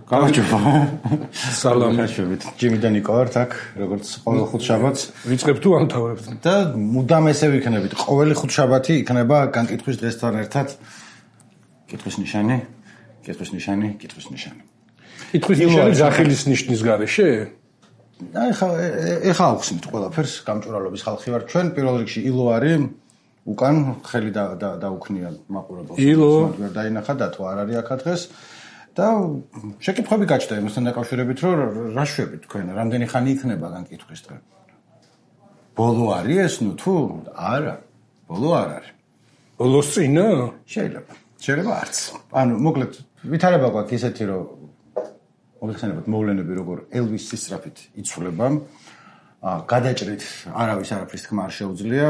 გამარჯობა. სალამი. ჯიმი და ნიკო ვართ აქ, როგორც ყოველ ხუთშაბათს. ვიწყებ თუ ამთავრებთ. და მუდამ ესე ვიქნებით. ყოველი ხუთშაბათი იქნება განკითხვის დღესთან ერთად კითხვის ნიშანი. კითხვის ნიშანი. კითხვის ნიშანი ზახილის ნიშნის გარეშე? აი ეხა ავხსნით ყველაფერს, გამჭვირვალობის ხალხი ვარ ჩვენ, პირველ რიგში ილო არის, უკან ხელი დაუქნია მაყურებელს. ილო ვერ დაინახა და თუ არ არის აქ დღეს. და შეკითხვები გაჩნდა იმასთან დაკავშირებით, რომ რა შვებით თქვენ, რამდენი ხანი იქნება განკითხვის დღე? ბოლო არის ეს, ნუ თუ არა, ბოლო არ არის. ბოლოს წინა? შეიძლება არც. ანუ მოკლედ ვითარება გვაქვს ისეთი, რომ მოგეხსენებათ მოვლენები როგორ ელვისის სწრაფით იცვლება. გადაჭრით არავის არაფრის თქმა არ შეუძლია,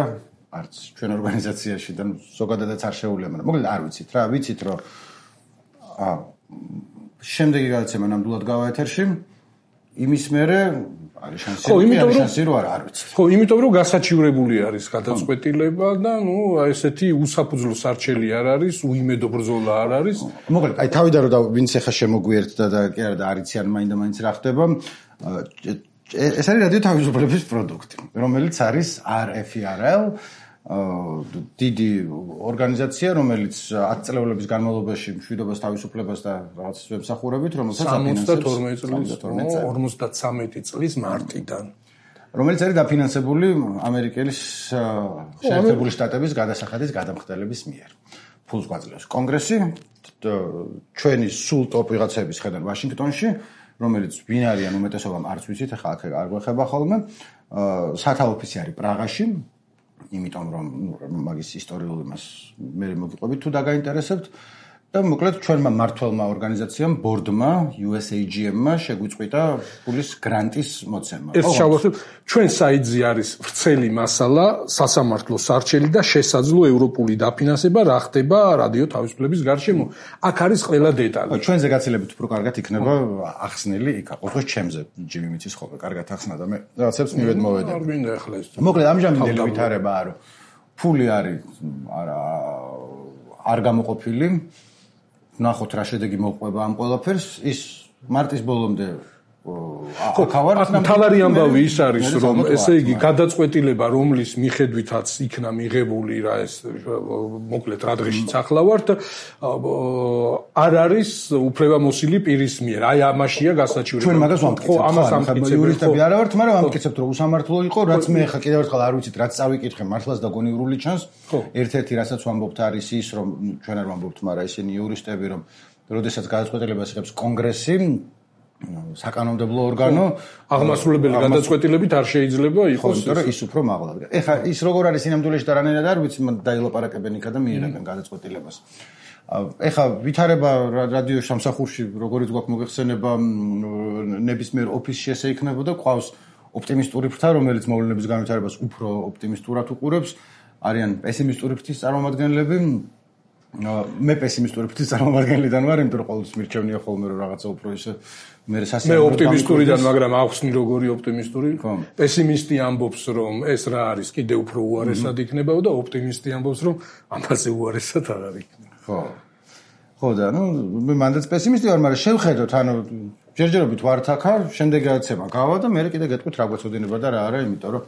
არც ჩვენ ორგანიზაციაში და ზოგადადაც არ შეუძლია, მაგრამ მოკლედ არ ვიცით რა, ვიცით რომ შემდეგი გადაცემა ნამდვილად გავა ეთერში. იმის მერე არის შანსი რომ არ ვიცით. ხო, იმიტომ რომ გასაჩივრებული არის გადაწყვეტილება და ნუ ესეთი უსაფუძვლო სარჩელი არ არის, უიმედო ბრძოლა არ არის. მოკლედ, აი თავიდან რომ ვინც ახლა შემოგვიერთდა და კი არა და არიციან მაინდა-მაინც რა ხდება. ეს არის რადიო თავისუფლების პროდუქტი, რომელიც არის RFRL, დიდი ორგანიზაცია, რომელიც 10 წლების განმავლობაში მშვიდობას, თავისუფლებას და რაღაც ემსახურებით, რომელსაც აფინანსებს 53 წლის მარტიდან. რომელიც არის დაფინანსებული ამერიკის შეერთებული შტატების გადასახადის გადამხდელების მიერ. ფულს გვაძლევს კონგრესი, ჩვენი სულ ტოპ ვიღაცების ხედავთ ვაშინგტონში, რომელიც ვინ არიან უმეტესობამ არც ვიცით, ახლა აქ არ გვეხება ხოლმე. სათავო ოფისი არის პრაღაში. იმიტომ რომ მაგის ისტორიულ იმას მე მოგიყვებით თუ დაგაინტერესებთ და მოკლედ ჩვენმა მმართველმა ორგანიზაციამ ბორდმა USAGM-მა შეგვიწყვიტა ფულის გრანტის მოცემა. ერთ შევახსენებ, ჩვენ საიტზე არის ვრცელი მასალა, სასამართლო სარჩელი და შესაძლო ევროპული დაფინანსება რა ხდება რადიო თავისუფლების გარშემო. აქ არის ყველა დეტალი. ჩვენზე გაცილებით უფრო კარგად იქნება ახსნილი იქ. ყოველთვის ჩემზე ჯიმი მიცის ხოლმე კარგად ახსნა და მე რაღაცებს მივედ მოვედე. არ მინდა ახლა ეს. მოკლედ ამჟამინდელი ვითარებაა რომ ფული არის არ გამოყოფილი. ნახოთ რა შედეგი მოყვება ამ ყველაფერს. ის მარტის ბოლომდე თავარი ამბავი ის არის რომ ესე იგი გადაწყვეტილება რომლის მიხედვითაც იქნა მიღებული რა ეს მოკლედ რა დღეშიც ახლა ვართ არ არის უფლებამოსილი პირის მიერ. აი ამაშია გასაჩივრება. ჩვენ მაგას ვამტკიცებთ. ხო, ამას ამტკიცებთ. იურისტები არა ვართ, მაგრამ ვამტკიცებთ რომ უსამართლო იყო, რაც მე ხა კიდევ ერთხელ არ ვიცით, რაც წავიკითხე მართლაც და გონივრული ჩანს. ერთ-ერთი რასაც ვამბობთ არის ის რომ ჩვენ არ ვამბობთ, მაგრამ ისინი იურისტები რომ როდესაც გადაწყვეტილებას იღებს კონგრესი საკანონმდებლო ორგანო აღმასრულებელი გადაწყვეტილებით არ შეიძლება იყოს იმიტომ რომ ის უფრო მაღლა. ეხლა ის როგორ არის სინამდვილეში და რანაირად არ ვიცი, დაილაპარაკებენ იქა და მიიღებენ გადაწყვეტილებას. ეხლა ვითარება რადიო სამსახურში როგორიც გვაქვს მოგეხსენება ნებისმიერ ოფისში ესე იქნებოდა, ყავს ოპტიმისტური ფრთა, რომელიც მოვლენების განვითარებას უფრო ოპტიმისტურად უყურებს, არიან პესიმისტური ფრთის წარმომადგენლები. მე პესიმისტური ფრთის წარმომადგენლიდან ვარ, იმიტომ რომ ყოველთვის მირჩევნია ხოლმე რომ რაღაცა უფრო ისე მე მე ოპტიმისტურიდან, მაგრამ ახსნი როგორი ოპტიმისტური? პესიმისტი ამბობს რომ ეს რა არის, კიდე უფრო უარესად იქნება და ოპტიმისტი ამბობს რომ ამაზე უარესად არ არის. ხო და ნუ მე მანდაც პესიმისტი ვარ, მაგრამ შევხედოთ, ანუ ჯერჯერობით ვართ აქა, შემდეგ გადაცემა გავა და მე კიდე გეტყვით რა გვეცოდინება და რა არა, იმიტომ რომ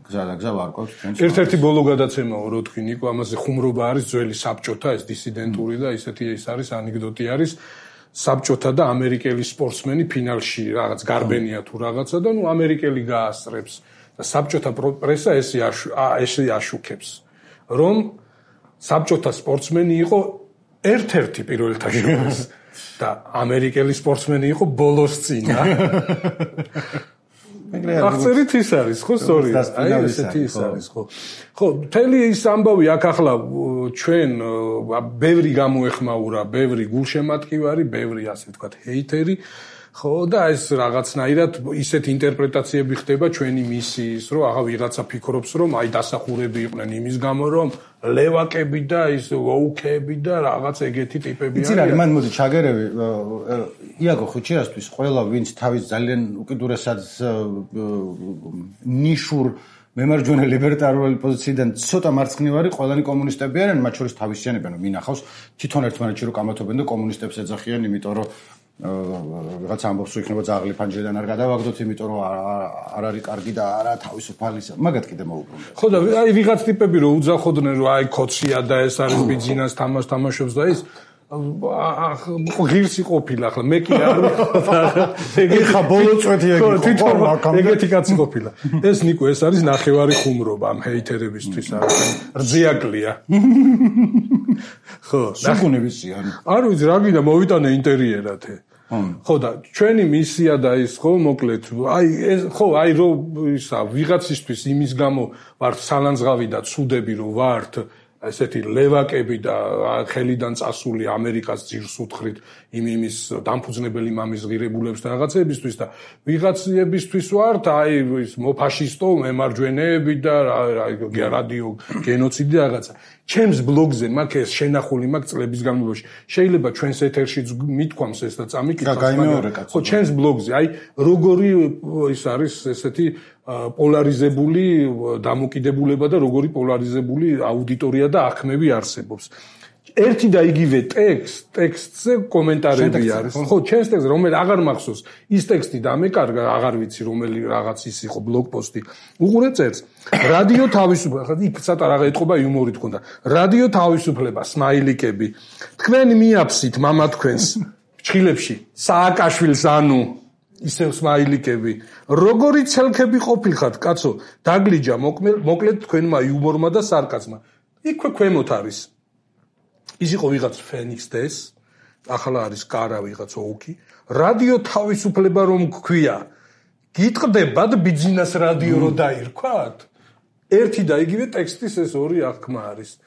გზა ვარკვევთ ჩვენ. ერთ-ერთი ბოლო გადაცემაა რო თქვი ნიკო, ამაზე ხუმრობა არის ძველი საბჭოთა, ეს დისიდენტური და ისეთი ის არის ანეკდოტი არის. საბჭოთა და ამერიკელი სპორტსმენი ფინალში რაღაც გარბენია თუ რაღაცა და ნუ ამერიკელი გაასწრებს და საბჭოთა პრესა ესე აშუქებს რომ საბჭოთა სპორტსმენი იყო ერთ-ერთი პირველთა შორის და ამერიკელი სპორტსმენი იყო ბოლოს წინა. აღწერით ის არის, ხო, სწორი. აი ესეთი ის არის, ხო. ხო, მთელი ის ამბავი აქ ახლა ჩვენ ბევრი გამოეხმაურა, ბევრი გულშემატკივარი, ბევრი ასე ვთქვათ ჰეიტერი, ხო, და ეს რაღაცნაირად ისეთ ინტერპრეტაციები ხდება ჩვენი მისიის, რომ აღა ვიღაცა ფიქრობს, რომ აი დასახურები იყვნენ იმის გამო, რომ ლევაკები და ის ვოუქები და რაღაც ეგეთი ტიპები არიან. იცი რა, მან მოდი ჩაგერევი, იაგო ხუჩიასთვის ყველა ვინც თავის ძალიან უკიდურესად ნიშურ მემარჯვენე ლიბერტარული პოზიციიდან ცოტა მარცხნივარი ყველანი კომუნისტები არიან, მათ შორის თავისიანებენ, მინახავს თვითონ ერთმანეთში რო კამათობენ და კომუნისტებს ეძახიან, იმიტომ რომ ვიღაც ამბობს რომ იქნება ძაღლი ფანჯრიდან არ გადავაგდოთ, იმიტომ რომ არ არის კარგი და არა თავისუფალი. მაგათ კიდე მოუბრუნდა. ხო და აი ვიღაც ტიპები რომ უძახოდნენ რომ აი ქოცია და ეს არის ბიძინას თამაშობს და ის ღირსი ყოფილა ახლა მე კი არ ეხა ბოლო წვეთი ეგეთი კაცი ყოფილა. ეს ნიკო ეს არის ნახევარი ხუმრობა ამ ჰეითერებისთვის რძიაკლია. ხო, საგუნი ვიციან. არ ვიცი რა გინდა მოვიტანე ინტერიერად. ხო და ჩვენი მისია და ის ხო მოკლედ აი ეს ხო აი რომ ისა ვიღაცისთვის იმის გამო ვართ სალანძღავი და ცუდები რომ ვართ ესეთი ლევაკები და ხელიდან წასული ამერიკას ძირს უთხრით იმის დამფუძნებელი მამის ღირებულებს და რაღაცებისთვის და ვიღაცებისთვის ვართ აი ის მოფაშისტო მემარჯვენეები და რადიო გენოციდი და რაღაცა ჩემს ბლოგზე მაგ ეს შენახული მაგ წლების განმავლობაში შეიძლება ჩვენს ეთერში მithქვამს ეს და წამიკითხავს ხო ჩემს ბლოგზე აი როგორი ის არის ესეთი პოლარიზებული დამოკიდებულება და როგორი პოლარიზებული აუდიტორია და აღქმები არსებობს. ერთი და იგივე ტექსტზე კომენტარები არის. ხო, ჩემს ტექსტზე რომელიც აღარ მახსოვს, ის ტექსტი დამეკარგა, აღარ ვიცი რომელი რაღაც ის იყო ბლოგპოსტი. უყურე წერს. რადიო თავისუფლება, იქ ცოტა რაღაც ეთყობა იუმორით ქონდა. რადიო თავისუფლება, სმაილიკები. თქვენ მიაფსით მამა თქვენს ჩხილებში სააკაშვილს ანუ ისევ სმაილიკები როგორი ცელქები ყოფილხართ კაცო დაგლიჯა მოკლედ თქვენმა იუმორმა და სარკაზმა იქვე ქვემოთ არის ის იყო ვიღაც ფენიქს დეს ახლა არის კარა ვიღაც ოუკი რადიო თავისუფლება რომ გქვია გიტყდებათ ბიძინას რადიო რო დაირქვათ ერთი და იგივე ტექსტის ეს ორი აღქმა არის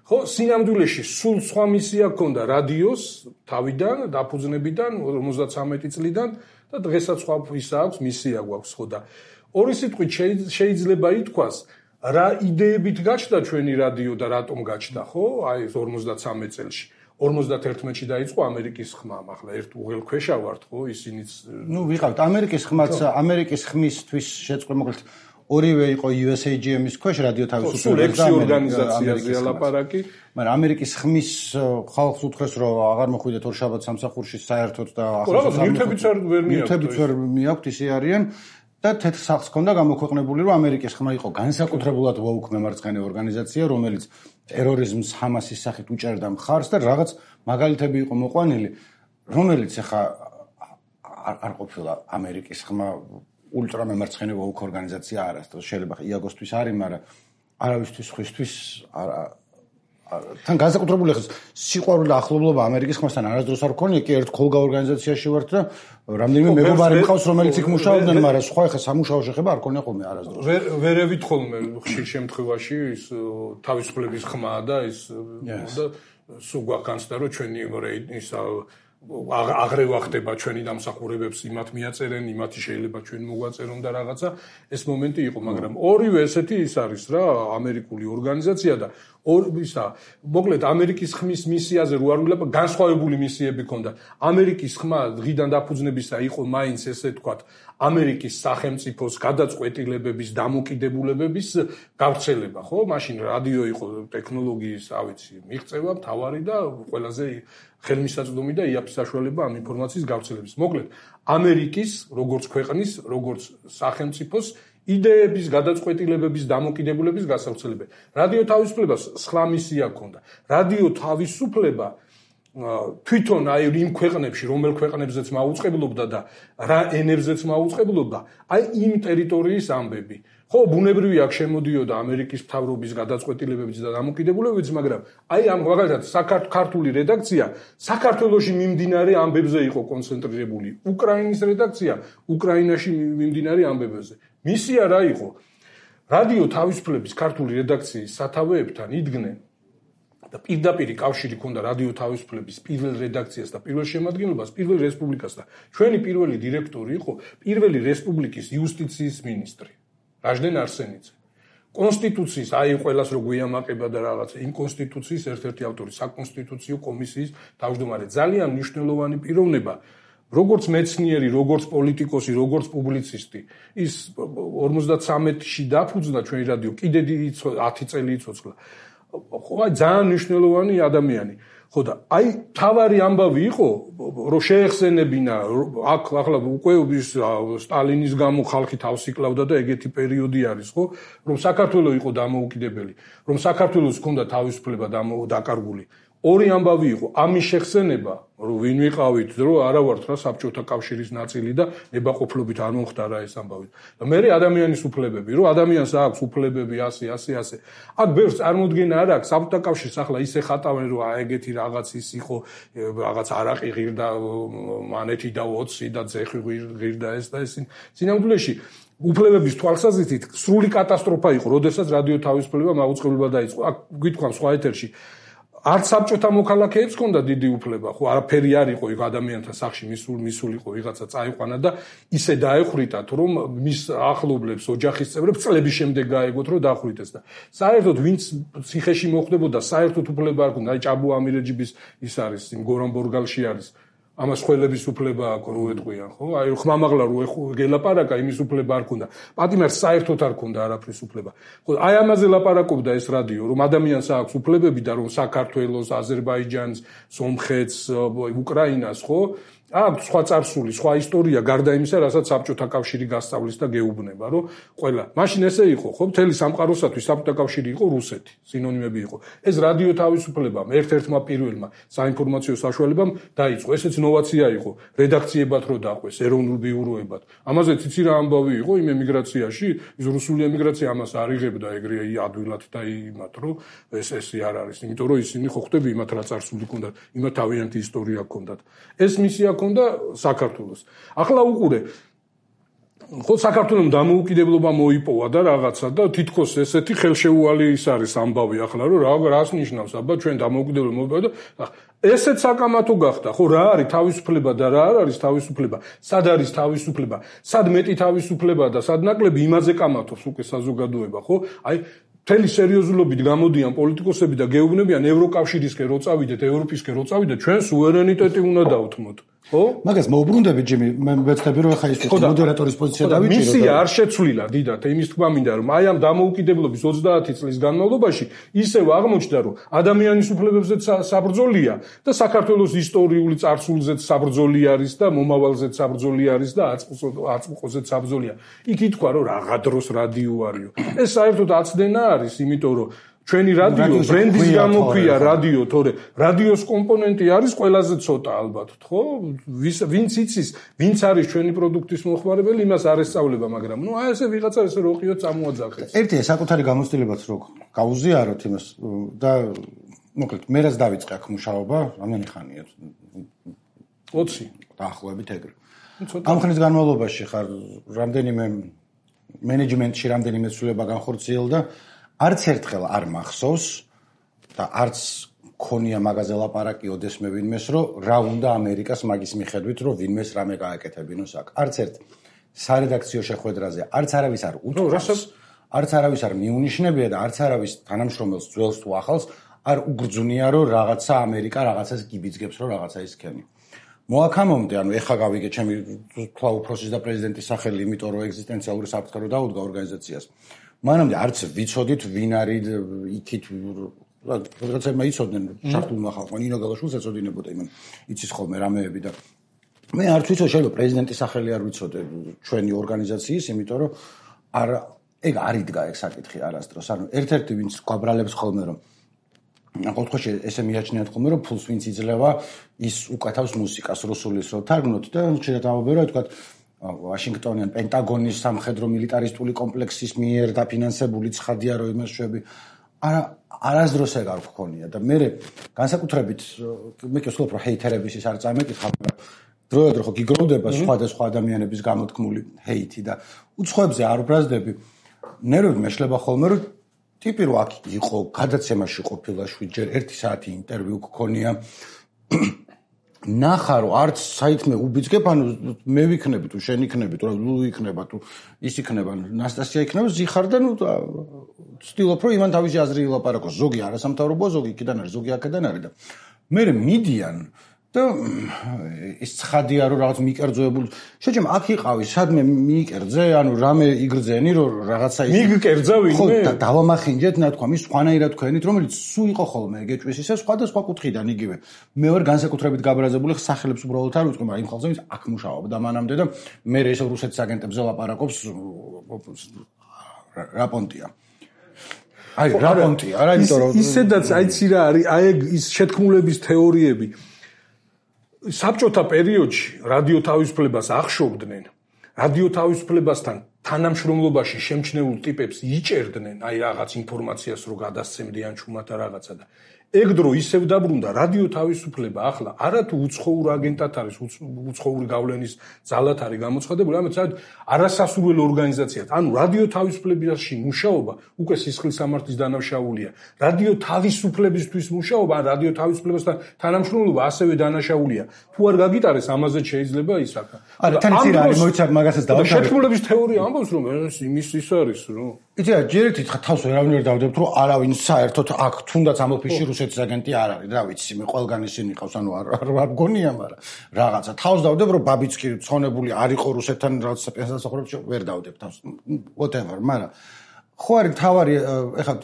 ხო სინამდვილეში სულ სხვა მისია ჰქონდა რადიოს თავიდან დაფუძნებიდან 53 წლიდან და დღესაც სხვა ისა აქვს მისია გვაქვს ხო და ორი სიტყვით შეიძლება ითქვას რა იდეებით გაჩნდა ჩვენი რადიო და რატომ გაჩნდა ხო აი 53 წელში 51-ში დაიწყო ამერიკის ხმა ახლა ერთ უღელქვეშა ვართ ხო ისინიც ნუ ვიყავთ ამერიკის ხმაც ამერიკის ხმისთვის შეწყდა მოკლედ ორივე იყო USAGM-ის ქვეშ რადიო თავისუფლების და ორგანიზაციაზე ლაპარაკი მაგრამ ამერიკის ხმის ხალხს უთხრეს რომ აღარ მოხვიდეთ ორშაბათ სამსახურში საერთოდ და ახლა ნივთებიც ვერ მიაქვთ ისე არიან და თეთრ სახს ჰქონდა გამოქვეყნებული რომ ამერიკის ხმა იყო განსაკუთრებულად ვოუკ მემარცხენე ორგანიზაცია რომელიც ტერორიზმს ჰამასის სახით უჭერდა მხარს და რაღაც მაგალითები იყო მოყვანილი რომელიც ახლა არ ყოფილა ამერიკის ხმა ультра მემარცხენე ვოუკ ორგანიზაცია არა შეიძლება იაგოსთვის არის მაგრამ არავისთვის ხისთვის თან განსაკუთრებული ხეს სიყვარული და ახლობლობა ამერიკის ხმასთან არასდროს არ მქონია კი ერთ ხოლგა ორგანიზაციაში ვართ და რამდენიმე მეგობარი მყავს რომელიც იქ მუშაობდნენ მაგრამ სხვა ხე სამუშაო შეხება არ ქონია ხოლმე არასდროს ვერევით ხოლმე ხშირ შემთხვევაში ის თავისუფლების ხმა და ის და სულ გვაქვს და რომ ჩვენი ისა აღრევა ხდება ჩვენი დამსახურებებს იმათ მიაწერენ იმათი შეიძლება ჩვენ მოგვაწერონ და რაღაცა ეს მომენტი იყო მაგრამ ორივე ესეთი ის არის რა ამერიკული ორგანიზაცია და ისა მოკლედ ამერიკის ხმის მისიაზე რო არ ვილაპარაკ განსხვავებული მისიები ჰქონდა ამერიკის ხმა დღიდან დაფუძნებისა იყო მაინც ესე თქვათ ამერიკის სახელმწიფოს გადაწყვეტილებების დამოკიდებულებების გავრცელება ხო მაშინ რადიო იყო ტექნოლოგიის ავიცი მიღწევა მთავარი და ყველაზე ხელმისაწვდომი და იაფი საშუალება ამ ინფორმაციის გავრცელების. მოკლედ, ამერიკის როგორც ქვეყნის, როგორც სახელმწიფოს იდეების გადაწყვეტილებების დამოკიდებულების გასავრცელება. რადიო თავისუფლებას სხვა მისია ჰქონდა. რადიო თავისუფლება თვითონ აი იმ ქვეყნებში, რომელ ქვეყნებზეც მაუწყებლობდა და რა ენებზეც მაუწყებლობდა, აი იმ ტერიტორიის ამბები. ხო, ბუნებრივია აქ შემოდიოდა ამერიკის მთავრობის გადაწყვეტილებებიც და დამოკიდებულებებიც, მაგრამ აი ამ მაგალითად საქართველოს რედაქცია საქართველოში მიმდინარე ამბებზე იყო კონცენტრირებული. უკრაინის რედაქცია უკრაინაში მიმდინარე ამბებზე. მისია რა იყო? რადიო თავისუფლების ქართული რედაქციის სათავეებთან იდგნენ და პირდაპირ კავშირი ჰქონდა რადიო თავისუფლების პირველ რედაქციას და პირველ შემადგენლობას, პირველ რესპუბლიკას და ჩვენი პირველი დირექტორი იყო პირველი რესპუბლიკის იუსტიციის მინისტრი. რაჟდენ არსენიძე. კონსტიტუციის აი ყველას რო გვიამაყება და რაღაცა იმ კონსტიტუციის ერთ-ერთი ავტორი საკონსტიტუციო კომისიის თავმჯდომარე ძალიან მნიშვნელოვანი პიროვნება როგორც მეცნიერი, როგორც პოლიტიკოსი, როგორც პუბლიცისტი ის 53-ში დაფუძნდა ჩვენი რადიო კიდე 10 წელი იცოცხლა. ხო ძალიან მნიშვნელოვანი ადამიანი. ხო და აი თავარი ამბავი იყო რომ შეეხსენებინა აქ ახლა უკვე სტალინის გამო ხალხი თავს იკლავდა და ეგეთი პერიოდი არის ხო რომ საქართველოს იყო დამოუკიდებელი რომ საქართველოს ჰქონდა თავისუფლება დაკარგული ორი ამბავი იყო ამის შეხსენება რომ ვინ ვიყავით რომ არა ვართ რა საბჭოთა კავშირის ნაწილი და ნებაყოფლობით არ მომხდარა ეს ამბავი და მე ადამიანის უფლებები რომ ადამიანს აქვს უფლებები ასე აქ ბევრს წარმოდგენა არ აქვს საბჭოთა კავშირს ახლა ისე ხატავენ რომ ეგეთი რაღაც ის იყო რაღაც არაყი ღირდა მანეთი და 20 და ძეხი ღირდა ეს და ეს სინამდვილეში უფლებების თვალსაზრისით სრული კატასტროფა იყო როდესაც რადიო თავისუფლება მაუწყებლობა დაიწყო აქ გითხრამ სხვა ეთერში არც საბჭოთა მოქალაქეებს ჰქონდა დიდი უფლება, ხო, არაფერი არ იყო იქ ადამიანთა სახში მისულიყო ვიღაცა წაიყვანა და ისე დაეხრიტათ, რომ მის ახლობლებს, ოჯახის წევრებს წლების შემდეგ გაეგოთ, რომ დახვრიტეს და საერთოდ ვინც ციხეში მოხვდებოდა, საერთოდ უფლება არ ჰქონდა, აი ჭაბუ ამირეჯიბის ის არის, იმ გორონბორგალში არის. ამას ხელების უფლება აქვს რო ეტყვიან, ხო? აი ხმამაღლა რო გელაპარაკა, იმის უფლება არ ქონდა. პატიმარს საერთოდ არ ქონდა არაფრის უფლება. ხო, აი ამაზე ლაპარაკობდა ეს რადიო, რომ ადამიანს აქვს უფლებები და რომ საქართველოს, აზერბაიჯანს, სომხეთს, უკრაინას, ხო? აქვს სხვა წარსული, სხვა ისტორია, გარდა იმისა, რასაც საბჭოთა კავშირი გასწავლის და გეუბნება, რომ ყველა. მაშინ ესე იყო, ხო? მთელი სამყაროსათვის საბჭოთა კავშირი იყო რუსეთი, სინონიმები იყო. ეს რადიო თავისუფლებამ, ერთ-ერთმა პირველმა საინფორმაციო საშუალებამ დაიწყო. ესეც ნოვაცია იყო, რედაქციებად რო დაყვეს, ეროვნულ ბიუროებად. ამაზე ციცი რა ამბავი იყო იმ ემიგრაციაში, ის რუსული ემიგრაცია ამას არ იღებდა ეგრე ადვილად და იმათ, რომ ეს არ არის, იმიტომ რომ ისინი ხო ხვდები იმათ რა წარსული ჰქონდათ, იმათ თავიანთი ისტორია ჰქონდათ. ეს მისია ჰქონდა საქართველოს. ახლა უყურე ხო საქართველოს დამოუკიდებლობა მოიპოვა და რაღაცა და თითქოს ესეთი ხელშეუვალი ის არის ამბავი ახლა რომ რას ნიშნავს აბა ჩვენ დამოუკიდებლობა მოიპოვა და ესეც საკამათო გახდა ხო რა არის თავისუფლება და რა არ არის თავისუფლება სად არის თავისუფლება სად მეტი თავისუფლება და სად ნაკლები იმაზე კამათობს უკვე საზოგადოება ხო აი მთელი სერიოზულობით გამოდიან პოლიტიკოსები და გეუბნებიან ევროკავშირისკენ რო წავიდეთ ევროპისკენ რო წავიდეთ ჩვენ სუვერენიტეტი უნდა დავთმოთ ხო? მაგას მოუბრუნდები ჯიმი, მე ვეცდები რომ ხა ის მოდერატორის პოზიცია დავიჭირო. მისია არ შეცვლილა დიდათ, იმის თქმა მინდა რომ აი ამ დამოუკიდებლობის 30 წლის განმავლობაში ისევ აღმოჩნდა რომ ადამიანის უფლებებზეც საბრძოლია და საქართველოს ისტორიული წარსულზეც საბრძოლი არის და მომავალზეც საბრძოლი არის და აწმყოზეც საბრძოლია. იქ ითქვა რომ რაღა დროს რადიო არისო. ეს საერთოდ აცდენა არის, იმიტომ რომ ჩვენი რადიო ბრენდის გამოქვია რადიო, თორე რადიოს კომპონენტი არის ყველაზე ცოტა ალბათ, ხო? ვინც იცის, ვინც არის ჩვენი პროდუქტის მოხმარებელი, იმას არ ესწავლება, მაგრამ ნუ აი ესე ვიღაცა ესე როყიო წამოაძახეს. ერთია საკუთარი გამოცდილებაც რო გაუზიაროთ იმას და მოკლედ მე რაც დავიწყე აქ მუშაობა, რამდენი ხანია? 20 დაახლოებით ეგრე. ამ ხნის განმავლობაში ხარ რამდენიმე მენეჯმენტში რამდენიმე ცვლილება განხორციელდა არც ერთხელ არ მახსოვს და არც ქონია მაგაზე ლაპარაკი ოდესმე ვინმეს რომ რა უნდა ამერიკას მაგის მიხედვით რომ ვინმეს რამე გააკეთებინოს აქ არც ერთ სარედაქციო შეხვედრაზე არც არავის არ უთხრავს არც არავის არ მიუნიშნებია და არც არავის თანამშრომელს ძველს თუ ახალს არ უგრძნია რომ რაღაცა ამერიკა რაღაცას გიბიძგებს რომ რაღაცა ისქენი მოაქამომდე ანუ ეხა გავიგე ჩემი თქვა უფროსის და პრეზიდენტის სახელი იმიტომ რომ ეგზისტენციალური საფრთხე რო დაუდგა ორგანიზაციას მანამდე არც ვიცოდით ვინ არის იქით რაღაცა იცოდნენ შარტულმა ხალხმა ნინო გალაშვილს ეწოდინებოდა იმან იცის ხოლმე რამეები და მე არც ვიცოდი შეიძლება პრეზიდენტის სახელი არ ვიცოდე ჩვენი ორგანიზაციის იმიტომ რომ არ ეგ არ იდგა ეგ საკითხი არასდროს ანუ ერთ-ერთი ვინც გვაბრალებს ხოლმე რომ ყოველთვის ესე მიაჩნიათ ხოლმე რომ ფულს ვინც იძლევა ის უკეთავს მუსიკას რუსულის რო თარგმნოთ და შეიძლება დავაბერო თქვა ვაშინგტონიან პენტაგონის სამხედრო მილიტარისტული კომპლექსის მიერ დაფინანსებული ცხადია რომ იმას შვები არასდროს ეგ არ გქონია და მე განსაკუთრებით მე კი ვსულობ რომ ჰეითერების ის არ წამეკითხა მაგრამ დროებდრო ხო გიგროვდება სხვადასხვა ადამიანების გამოთქმული ჰეითი და უცხოებზე არ ვბრაზდები ნერვები მეშლება ხოლმე რომ ტიპი რო აქ იყო გადაცემაში ყოფილა შვიდჯერ 1 საათი ინტერვიუ გქონია ნახარო არც საითმე უბიძგებ ანუ მე ვიქნები თუ შენ იქნები თუ ლუ იქნება თუ ის იქნება ნასტასია იქნება ზიხარ და ნუ ვცდილობ რომ იმან თავისი აზრი ილაპარაკოს ზოგი არასამთავრობო ზოგი იქიდან არის ზოგი აქედან არის და მე მიდიან და ის ცხადია რომ რაღაც მიკერძოებული შეჭამ აქ იყავი სადმე მიიკერძე ანუ რამე იგრძენი რომ რაღაცა ის მიგკერძა ვინმე ხო და დავამახინჯეთ ნათქვა მის სხვანაირად თქვენით რომელიც სულ იყო ხოლმე გეჭვის ისე სხვადასხვა კუთხიდან იგივე მე ვარ განსაკუთრებით გაბრაზებული სახელებს უბრალოდ არ ვიტყვი მაგრამ იმ ხალხზე ვინც აქ მუშაობდა მანამდე და მე ეს რუსეთის აგენტებზე ლაპარაკობს რა პონტია აი რა პონტია არა იმიტომ რომ ისედაც აიცი რა არის აი ის შეთქმულების თეორიები საბჭოთა პერიოდში რადიო თავისუფლებას ახშობდნენ რადიო თავისუფლებასთან თანამშრომლობაში შემჩნეულ ტიპებს იჭერდნენ აი რაღაც ინფორმაციას რო გადასცემდიან ჩუმად რაღაცა და ეგ დრო ისევ დაბრუნდა რადიო თავისუფლება ახლა არათუ უცხოურ აგენტად არის უცხოური გავლენის ძალად არის გამოცხადებული ამეთ არასასურველ ორგანიზაციად ანუ რადიო თავისუფლებაში მუშაობა უკვე სისხლის სამართლის დანაშაულია რადიო თავისუფლებისთვის მუშაობა ან რადიო თავისუფლებასთან თანამშრომლობა ასევე დანაშაულია თუ არ გაგიტარეს ამაზე შეიძლება ის აქ არა თან იცი რა არის მოიცავ მაგასაც დავთვალე შეთქმულების თეორია ამბობს რომ იმის ის არის რომ იცი რა ჯერით თავს ვერავინ ვერ დავდებთ რომ არავინ საერთოდ აქ თუნდაც ამ ოფისში რუსეთის აგენტი არ არის რა ვიცი მე ყველგან ისინი ყავს ანუ არ გონია მაგრამ რაღაცა თავს დავდებ რომ ბაბიცკი ცხონებული არ იყო რუსეთთან რაღაცა პენსიასახურებში ვერ დავდებ თავს whatever მაგრამ ხო არის თავარი ეხლა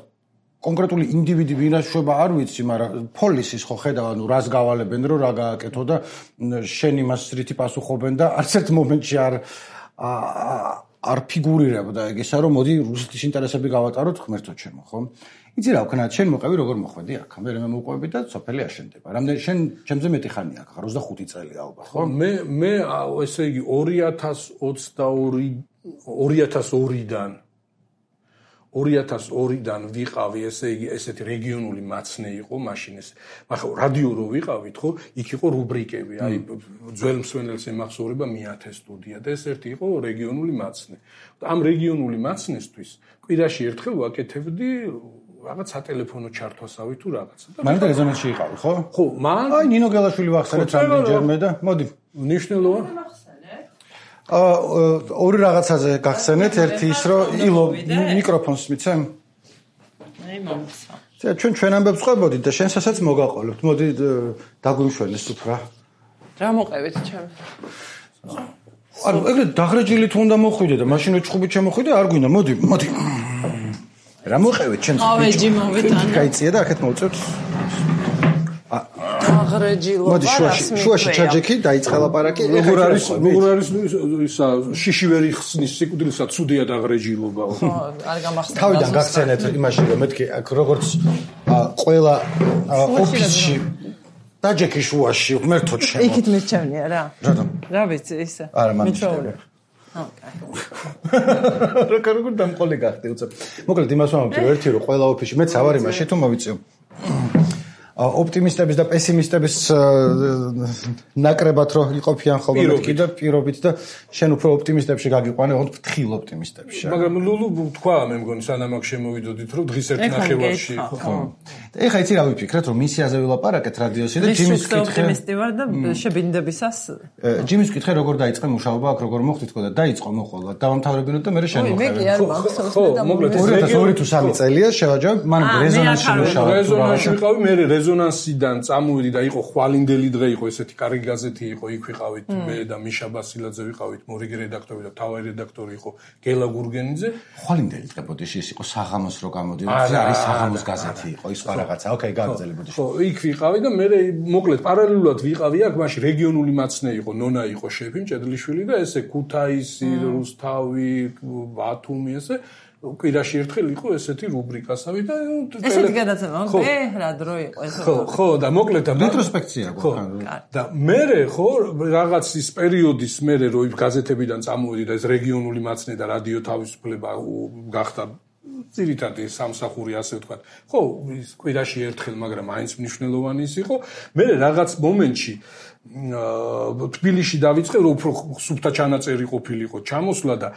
კონკრეტული ინდივიდი ვინაშობა არ ვიცი მაგრამ პოლისის ხო ხედავ ანუ რას გავალებენ რომ რა გააკეთო და შენ იმას რითი პასუხობენ და არც ერთ მომენტში არ ფიგურირებდა ეგ ისა რომ მოდი რუსეთის ინტერესები გავატაროთ ღმერთო ჩემო ხო იცი რა ვქნა შენ მოყევი როგორ მოხვედი აქ მე მოვყვები და სოფელი აშენდება რამდენი შენ ჩემზე მეტი ხანია აქ 25 წელი ალბათ ხო მე ესე იგი 2002-დან ვიყავი ესე იგი ესეთი რეგიონული მაცნე იყო მაშინ ეს მაგრამ რადიო რო ვიყავით ხო იქ იყო რუბრიკები აი ძველ მსვენელს ემახსოვრება მიათე სტუდია და ეს ერთი იყო რეგიონული მაცნე ამ რეგიონული მაცნესთვის კვირაში ერთხელ ვაკეთებდი რაღაც სატელეფონო ჩართვასავი თუ რაღაცა და მანდ რეზონანსში იყავი ხო ხო მან აი ნინო გელაშვილი ვახსენეთ რამდენჯერმე და მოდი ნიშნულოვან ორი რაღაცაზე გახსენეთ ერთი ის რომ ილო მიკროფონს მიცემ აი მომცა ჩვენ ამბებს ყვებოდით და შენსაც მოგაყოლებთ მოდი დაგვიმშვენეს უფრო რა მოყევით ჩემ ანუ ეგრე დაღრეჯილი თუ უნდა მოხვიდე და მაშინ ჩხუბით შემოხვიდე არ გვინდა მოდი რა მოყევით ჩემს ავეჯი მოვიტანე გაიწია და აქეთ მოვწევთ დაღრეჯილობა შუაში ჩაჯექი დაიწყე ლაპარაკი როგორ არის ისა შიში ვერ იხსნის სიკვდილსა ცუდია დაღრეჯილობა ხო არ გამახსენდა თავიდან გახსენეთ იმაში რომ მეთქი აქ როგორც ყველა ოფისში დაჯექი შუაში ღმერთო ჩემო იქით მირჩევნია რა რა ვიცი ისა არა მამჩევი როგორ დამყოლი გახდი უცებ მოკლედ იმას ვამბობ ერთი რომ ყველა ოფისში მეც ავარ იმაში თუ მოვიწევ ოპტიმისტების და პესიმისტების ნაკრებად რო იყოფიან ხოლმე მეთქი და პირობით და შენ უფრო ოპტიმისტებში გაგიყვანე ოღონდ ფრთხილ ოპტიმისტებში მაგრამ ლულუ თქვა მე მგონი სანამ აქ შემოვიდოდით რომ დღის ერთ ნახევარში ხო ეხა იცი რა ვიფიქრეთ რომ მისიაზე ვილაპარაკეთ რადიოსი და ჯიმის კითხე ოპტიმისტი ვარ და შებინდებისას ჯიმის კითხე როგორ დაიწყე მუშაობა აქ როგორ მოხდით თქო და დაიწყო მოყოლა დავამთავრებინოთ და მე შენ მოხდა ხო მოკლედ 2002 თუ 3 წელია შევაჯავებ მან რეზონანსში მუშაობა რეზონანსში ვიყავი მე რეზონანსიდან წამოვიდი და იყო ხვალინდელი დღე იყო ესეთი კარგი გაზეთი იყო იქ ვიყავით მე და მიშა ბასილაძე ვიყავით მორიგი რედაქტორი და თავი რედაქტორი იყო გელა გურგენიძე ხვალინდელი დღე ბოდიში ის იყო საღამოს რო გამოდიოდა არის საღამოს გაზეთი იყო ის რაღაცა ოკეი გაგრძელი ბოდიში ხო იქ ვიყავი და მე მოკლედ პარალელურად ვიყავი აქ მაშინ რეგიონული მაცნე იყო ნონა იყო შეფი მჭედლიშვილი და ესე ქუთაისი რუსთავი ბათუმი ესე კვირაში ერთხელ იყო ესეთი რუბრიკასავი და ესეთი გადაცემა რა დრო იყო ეს ხო და მოკლედ და რეტროსპექცია და მე ხო რაღაც ის პერიოდის მე რო იმ გაზეთებიდან წამოვიდი და ეს რეგიონული მაცნე და რადიო თავისუფლება გახდა ძირითადი სამსახური ასე ვთქვათ ხო ის კვირაში ერთხელ მაგრამ აინც მნიშვნელოვანი ის იყო მე რაღაც მომენტში თბილისში დავიწყე რომ უფრო სუფთა ჩანაწერი ყოფილიყო ჩამოსვლა და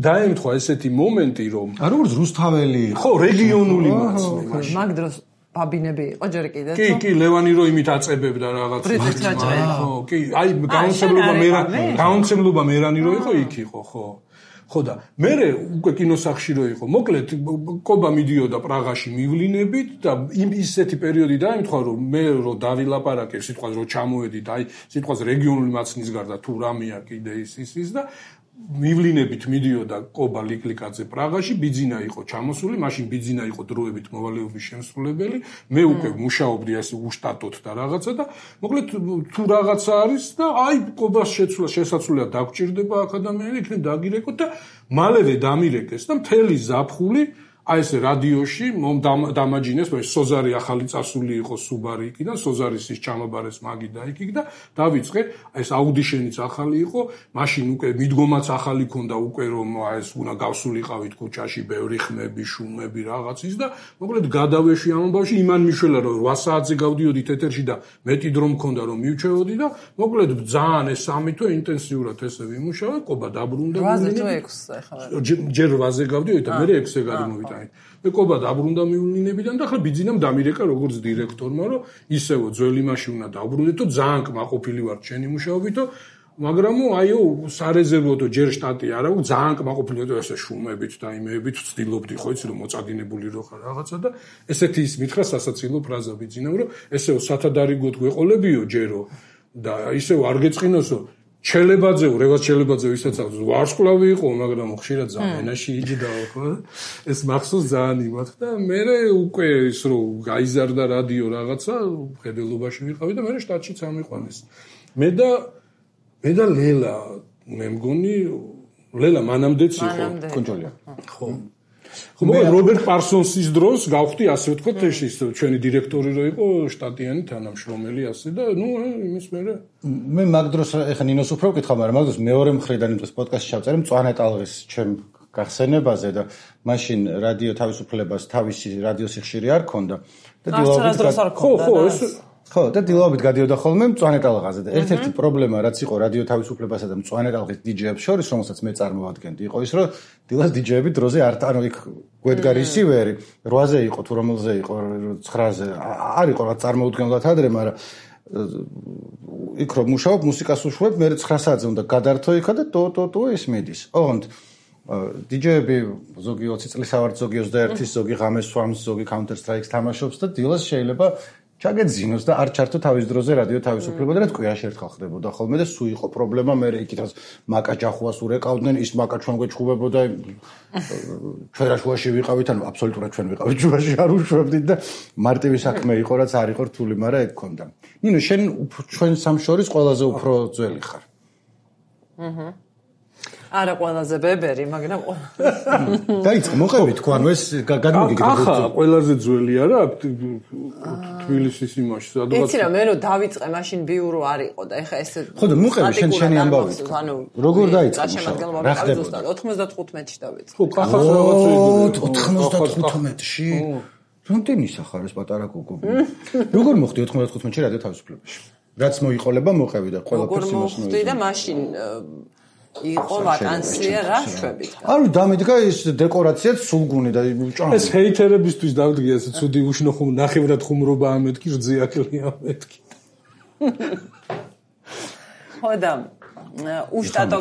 დაემთხვა ესეთი მომენტი რომ როგორც რუსთაველი ხო რეგიონული მაცნე მაგ დროს ბაბინები იყო ჯერ კიდე კი ლევანი რო იმით აწებებდა რაღაც ხო კი აი გაუნცემლობა მერანი რო იყო იქ იყო ხო ხო და მე უკვე კინოსახში რო იყო მოკლედ კობა მიდიოდა პრაღაში მივლინებით და ისეთი პერიოდი დაემთხვა რომ მე რო დავილაპარაკე სიტყვას რო ჩამოვედი და აი სიტყვას რეგიონული მაცნის გარდა თუ რამეა კიდე ის და მივლინებით მიდიოდა კობა ლიკლიკაძე პრაღაში, ბიძინა იყო ჩამოსული, მაშინ ბიძინა იყო დროებით მოვალეობის შემსრულებელი, მე უკვე მუშაობდი ასე უშტატოდ და რაღაცა და მოკლედ თუ რაღაცა არის და აი კობას შესაძლოა დაგჭირდება აქადამიანი, იქნებ დაგირეკოთ და მალევე დამირეკეს და მთელი ზაფხული აი ეს რადიოში დამაჯინეს, სოზარი ახალი წასული იყო სუბარი იქიდან, სოზარის ის ჩამაბარეს მაგი და იქ და დავიწყე, აი ეს აუდიშენიც ახალი იყო, მაშინ უკვე მიდგომაც ახალი ქონდა უკვე რომ აი ეს უნდა გავსულიყავით ქუჩაში, ბევრი ხმები, შუმები რაღაცის და მოკლედ გადავეში ამ ამბავში, იმან მიშველა რომ 8 საათზე გავდიოდი ეთერში და მეტი დრო მქონდა რომ მივჩეოდი და მოკლედ ძალიან ეს 3 თვე ინტენსიურად ესე ვიმუშავე, კობა დაბრუნდა. 8 თუ 6 ახლა. ჯერ 8-ზე გავდიოდი და მე 6-ზე გადმოვიდა. მე კობა დაბრუნდა მივლინებიდან და ახლა ბიძინამ დამირეკა როგორც დირექტორმა რომ ისევ ძველი მასში უნდა დავბრუნდეთ და ძალიან კმაყოფილი ვარ ჩემი მუშაობითო მაგრამ აიო სარეზერვოდო ჯერ შტატი არა ძალიან კმაყოფილი ვარ ესე შუმებით და იმეებით ვცდილობდი ხო იცი რომ მოწადინებული რო ხარ რაღაცა და ესეთი ის მითხრა სასაცილო ფრაზა ბიძინამ რომ ესეო სათადარიგოდ გვეყოლებიო ჯერო და ისევ არ გეწყინოსო ჩელებაძეო, რევას ჩელებაძეო ისაც ვარსკვლავი იყო, მაგრამ ხშირად ძალიან ენაში იჯდაო, ხო? ეს მახსოვს ძალიან იმათ და მე უკვე ის რომ გაიზარდა რადიო რაღაცა, ხედელობაში ვიყავი და მე შტატში წამიყვანეს. მე და ლელა, მე მგონი ლელა მანამდეც იყო კონტროლია. ხო. ხო, რობერტ პარსონსის დროს გავხდი ასე ვთქვათ, ის ჩვენი დირექტორი რო იყო, შტატიანი თანამშრომელი ასე და ნუ იმის მე მაგ დროს ეხა ნინოს უფრო ვკითხავ, მაგრამ მაგ დროს მეორე მხრიდან იმ დროს პოდკასტში ჩავწერე მწვანე ტალღის ჩემ გახსენებაზე და მაშინ რადიო თავისუფლებას თავისი რადიო სიხშირე არ ქონდა და ხო, და დილაობით გადიოდა ხოლმე მწვანე ტალღაზე და ერთ-ერთი პრობლემა რაც იყო რადიო თავისუფლებასა და მწვანე ტალღის დიჯეებს შორის, რომელსაც მე წარმოვადგენდი, იყო ის, რომ დილას დიჯეები დროზე არ ანუ იქ გვედგა რისივერი 8-ზე იყო თუ რომელზე იყო 9-ზე არ იყო რა წარმოუდგენლად ადრე, მაგრამ იქ რომ მუშაობ მუსიკას უშვებ, მე 9 საათზე უნდა გადართო იქა და ტო ის მიდის. ოღონდ დიჯეები ზოგი 20 წლის ავართ, ზოგი 21-ის, ზოგი ღამეს სვამს, ზოგი Counter Strike-ს თამაშობს და დილას შეიძლება ჩაგეძინოს და არ ჩართო თავის დროზე რადიო თავისუფლება და თქვენაში ერთხელ ხდებოდა ხოლმე და სულ იყო პრობლემა მე იქითაც მაკა ჯახუას ურეკავდნენ ის მაკა ჩვენ გვეჩხუბებოდა ჩვენ რაშუაში ვიყავით ანუ აბსოლუტურად ჩვენ ვიყავით ჯუაში არ უშვებდით და მარტივი საქმე იყო რაც არ იყო რთული მაგრამ ეგ ქონდა ნინო შენ ჩვენ სამშორის ყველაზე უფრო ძველი ხარ არა ყველაზე ბებერი, მაგრამ დაიწყო მოყევი თქვა, ანუ ეს გადმოგიგდა. ახლა ყველაზე ძველი არა თბილისის იმაში, სადღაც. იცი რა, მე რომ დავიწყე მაშინ ბიურო არ იყო და ეხა ეს ხო და მოყევი შენი ამბავი. როგორ დაიწყე? რა ხდება? 95-ში დავიწყე. ხო, კახას რაღაცა იყო. 95-ში? რამდენისა ხარ ეს პატარა კუკუ? როგორ მოხდი 95-ში რადიო თავისუფლებაში? რაც მოიყოლება მოყევი და ყველაფერს იმას მოიყოლება. მოხდი და მაშინ იყო ვაკანსია რა შვებით. არ დამიდგა ის დეკორაციაც სულგუნი და ჭამი. ეს ჰეითერებისთვის დავდგე ეს ცუდი უშნო ხუმ ნახევრად ხუმრობა ამეთქი რძიაკლი ამეთქი. ხო და უშტატო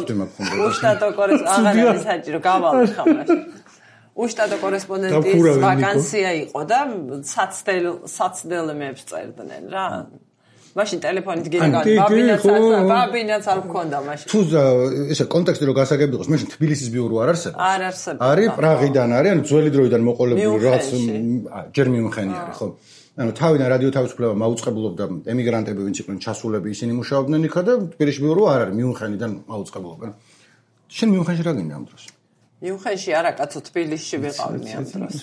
აღარ არის საჭირო გავალ ხამაში. უშტატო კორესპონდენტის ვაკანსია იყო და საცდელმეებს წერდნენ რა. მაშინ ტელეფონით გიგავდი ბაბინაც არ მქონდა მაშინ თუ ესე კონტექსტი რო გასაგები იყოს მაშინ თბილისის ბიურო არ არსებობს არ არსებობს არის პრაღიდან არის ანუ ძველი დროიდან მოყოლებული რაღაც ჯერ მიუნხენი არის ხო ანუ თავიდან რადიო თავისუფლება მაუწყებლობდა ემიგრანტები ვინც იყვნენ ჩასულები ისინი მუშაობდნენ იქა და თბილისში ბიურო არ არის მიუნხენიდან მაუწყებლობენ შენ მიუნხენში რა გინდა ამ დროს მიუნხენში არა კაცო თბილისში ვიყავი მე ამ დროს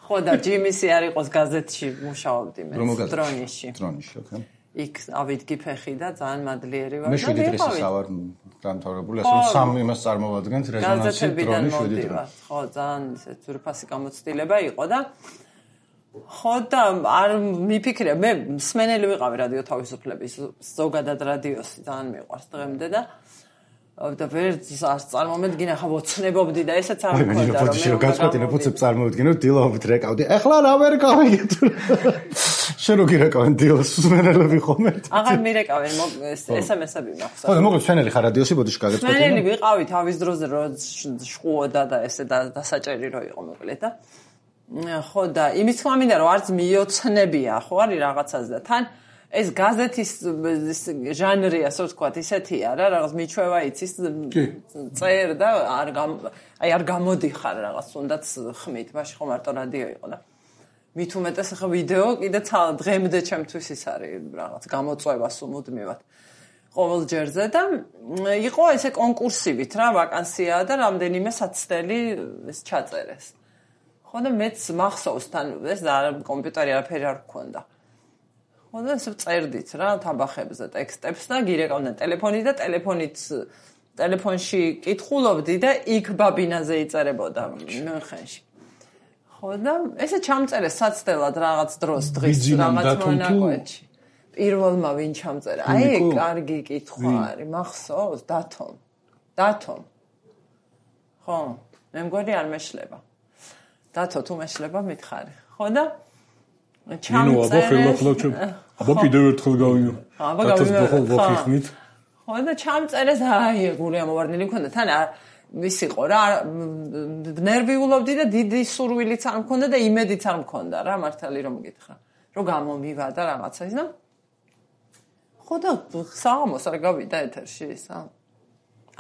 ხო და ჯიმისი არ იყოს გაზეთში მუშაობდი მე დრონიში ოკეი იქ ავიდგი ფეხი და ძალიან მადლიერი ვარ მე 7 დღესაც ავარ დამთავრებული ასე რომ სამი იმას წარმოვადგენთ რეზონანსი დრონის 7 დღე ხო ძალიან ესე ძვირფასი გამოცდილება იყო და ხო და არ მიფიქრე მე მსმენელი ვიყავი რადიო თავისუფლების ზოგადად რადიოსი ძალიან მიყვარს დღემდე და ვერ წარმომედგინა ხა ვოცნებობდი და ესეც არ მქონდა რომ მე გაწყვეტინე ფუცებ წარმოვედგინო დილაობით რეკავდი ეხლა რა ვერ გავიგე თუ შენ რო გირეკავენ დილს სვენელები ხომ ერთ? აღარ მირეკავენ SMS-ები მაქვს. ხო, მოგეთ სვენელი ხარ რადიოსი ბოდიში გაგეწყვეტი. სვენელი ვიყავი თავის დროზე რო შყუოდა და ესე დასაჭერი რო იყო მოკლედ და ხო და იმის თქმა მინდა რომ არც მიოცნებია ხო არის რაღაცას და თან ეს გაზეთის ჟანრი ასე ვთქვათ ისეთია რა რაღაც მიჩვევა იცის წერ და არ გამოდიხარ რაღაც თუნდაც ხმით მაშინ ხო მარტო რადიო იყო და მით უმეტეს ახლა ვიდეო კიდე დღემდე ჩემთვის ის არის რაღაც გამოწვევა სულ ყოველ ჯერზე და იყო ესე კონკურსივით რა ვაკანსია და რამდენიმე საცდელი ეს ჩაწერეს ხო და მეც მახსოვს თან ეს კომპიუტერი არაფერი არ გქონდა ხო და ეს წერდით რა თაბახებზე ტექსტებს და გირეკავდნენ ტელეფონით და ტელეფონში კითხულობდი და იქ ბაბინაზე იწერებოდა მუნხენში ხო და ესე ჩამწერეს საცდელად რაღაც დროს დღის რაღაც მონაკვეთში პირველმა ვინ ჩამწერა აი კარგი კითხვა არის მახსოვს დათომ ხო მე მგონი არ მეშლება დათო თუ მეშლება მითხარი ხო და ჩამწერეს აბა კიდევ ერთხელ გავიო დათოს ხო და ჩამწერეს აი გული ამოვარდნილი მქონდა თან ვის იყო რა ნერვიულობდი და დიდი სურვილიც არ მქონდა და იმედიც არ მქონდა რა მართალი რომ გითხრა რომ გამომივა და რაღაცა ის და ხო და საღამოს არ გავიდა ეთერში ისა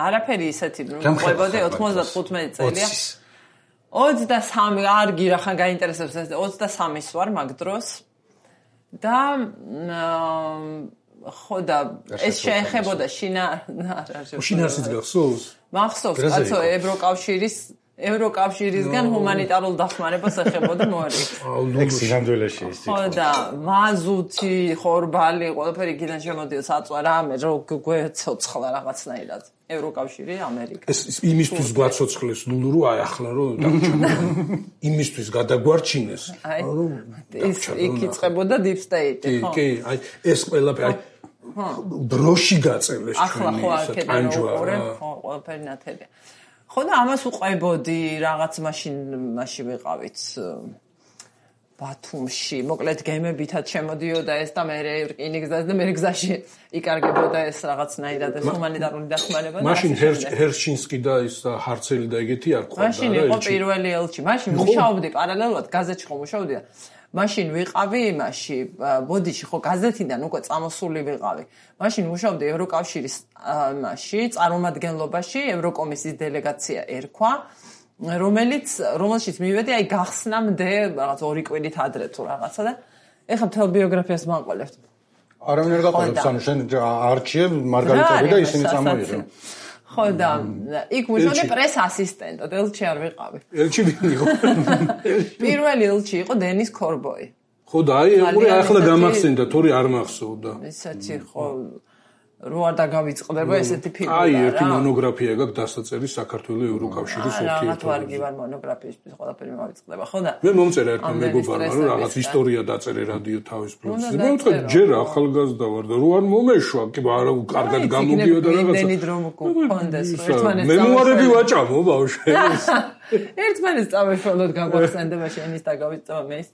არაფერი ისეთი რომ ყვებოდი 95 წელია 23 არ გირახან გაინტერესებს 23-ის ვარ მაგ დროს და ხო და ეს შეეხებოდა შინაარსიც გახსოვს მახსოვს კაცო ევროკავშირისგან ჰუმანიტარულ დახმარებას ეხებოდა მოარი ექსი ნამდვილაში ის ხო და მაზუთი ხორბალი ყველაფერი იქიდან შემოდიოდა საწვა რამე რო გვეცოცხლა რაღაცნაირად ევროკავშირი ამერიკა ეს იმისთვის გვაცოცხლეს ლულუ აი ახლა რომ იმისთვის გადაგვარჩინეს ის იქ იწყებოდა deep state ხო კი აი ეს ყველაფერი დროში გაწელეს ჩვენი ეს ტანჯვა ხო ყველაფერი ნათელია ხო და ამას უყებოდი რაღაც მაშინ ვიყავით ბათუმში მოკლედ გემებითაც შემოდიოდა ეს და მე რკინიგზაზე და მე გზაში იკარგებოდა ეს რაღაცნაირად ეს ჰუმანიტარული დახმარება მაშინ ჰერშინსკი და ის ჰარცელი და ეგეთი არ ყავდა მაშინ იყო პირველი ელჩი მაშინ მუშაობდი პარალელურად გაზეთში ხო მუშაობდი და მაშინ ვიყავი იმაში ბოდიში ხო გაზეთიდან უკვე წამოსული ვიყავი მაშინ მუშაობდი ევროკავშირის იმაში წარმომადგენლობაში ევროკომისიის დელეგაცია ერქვა რომელშიც მივედი აი გახსნამდე რაღაც 2 კვირით ადრე თუ რაღაცა და ეხლა მთელ ბიოგრაფიას მაყოლებთ არავინ არ გაყოლებს ანუ შენ არჩიე მარგარიტები და ისინი წამოიღო ხო და იქ მუშაობდი პრეს ასისტენტად ელჩი არ ვიყავი ელჩი ვინ იყო პირველი ელჩი იყო დენის კორბოი ხო და აი ეგური ახლა გამახსენდა თორე არ მახსოვდა ესეთი ხო რო არ დაგავიწყდება ესეთი ფილმი აი ერთი მონოგრაფია გაქვს დასაწერი საქართველოს ევროკავშირის ურთიერთობებზე რაღაც ვარგი ვარ მონოგრაფიისთვის ყველაფერი მოვიწყდება ხო და მე მომწერა ერთმა მეგობარმა რომ რაღაც ისტორია დაწერე რადიო თავის ბლოგზე მე ვთქვი ჯერ ახალგაზრდა ვარ და რო არ მომეშვა კი არა კარგად გამოდიოდა რაღაცა იმდენი დრო მქონდეს ერთმანეთს მემუარები ვაჭამო ბავშვებს ერთმანეთს წავეშვალოთ გაგვახსენდება შენის დაგავიწყება მე ის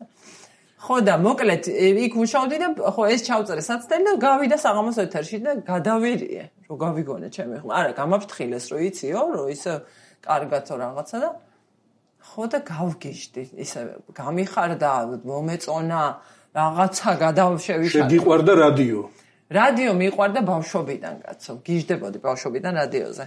ხო და მოკლედ იქ მუშაობდი და ხო ეს ჩავწერე საცდელი და გავიდა საღამოს ეთერში და გადავირიე რომ გავიგონე ჩემი ხმა არა გამაფრთხილეს რომ იციო რომ ისე კარგათო რაღაცა და ხო და გავგიჟდი ისე გამიხარდა მომეწონა რაღაცა გადავშევიშალე შეგიყვარდა რადიო მიყვარდა ბავშვობიდან კაცო გიჟდებოდი ბავშვობიდან რადიოზე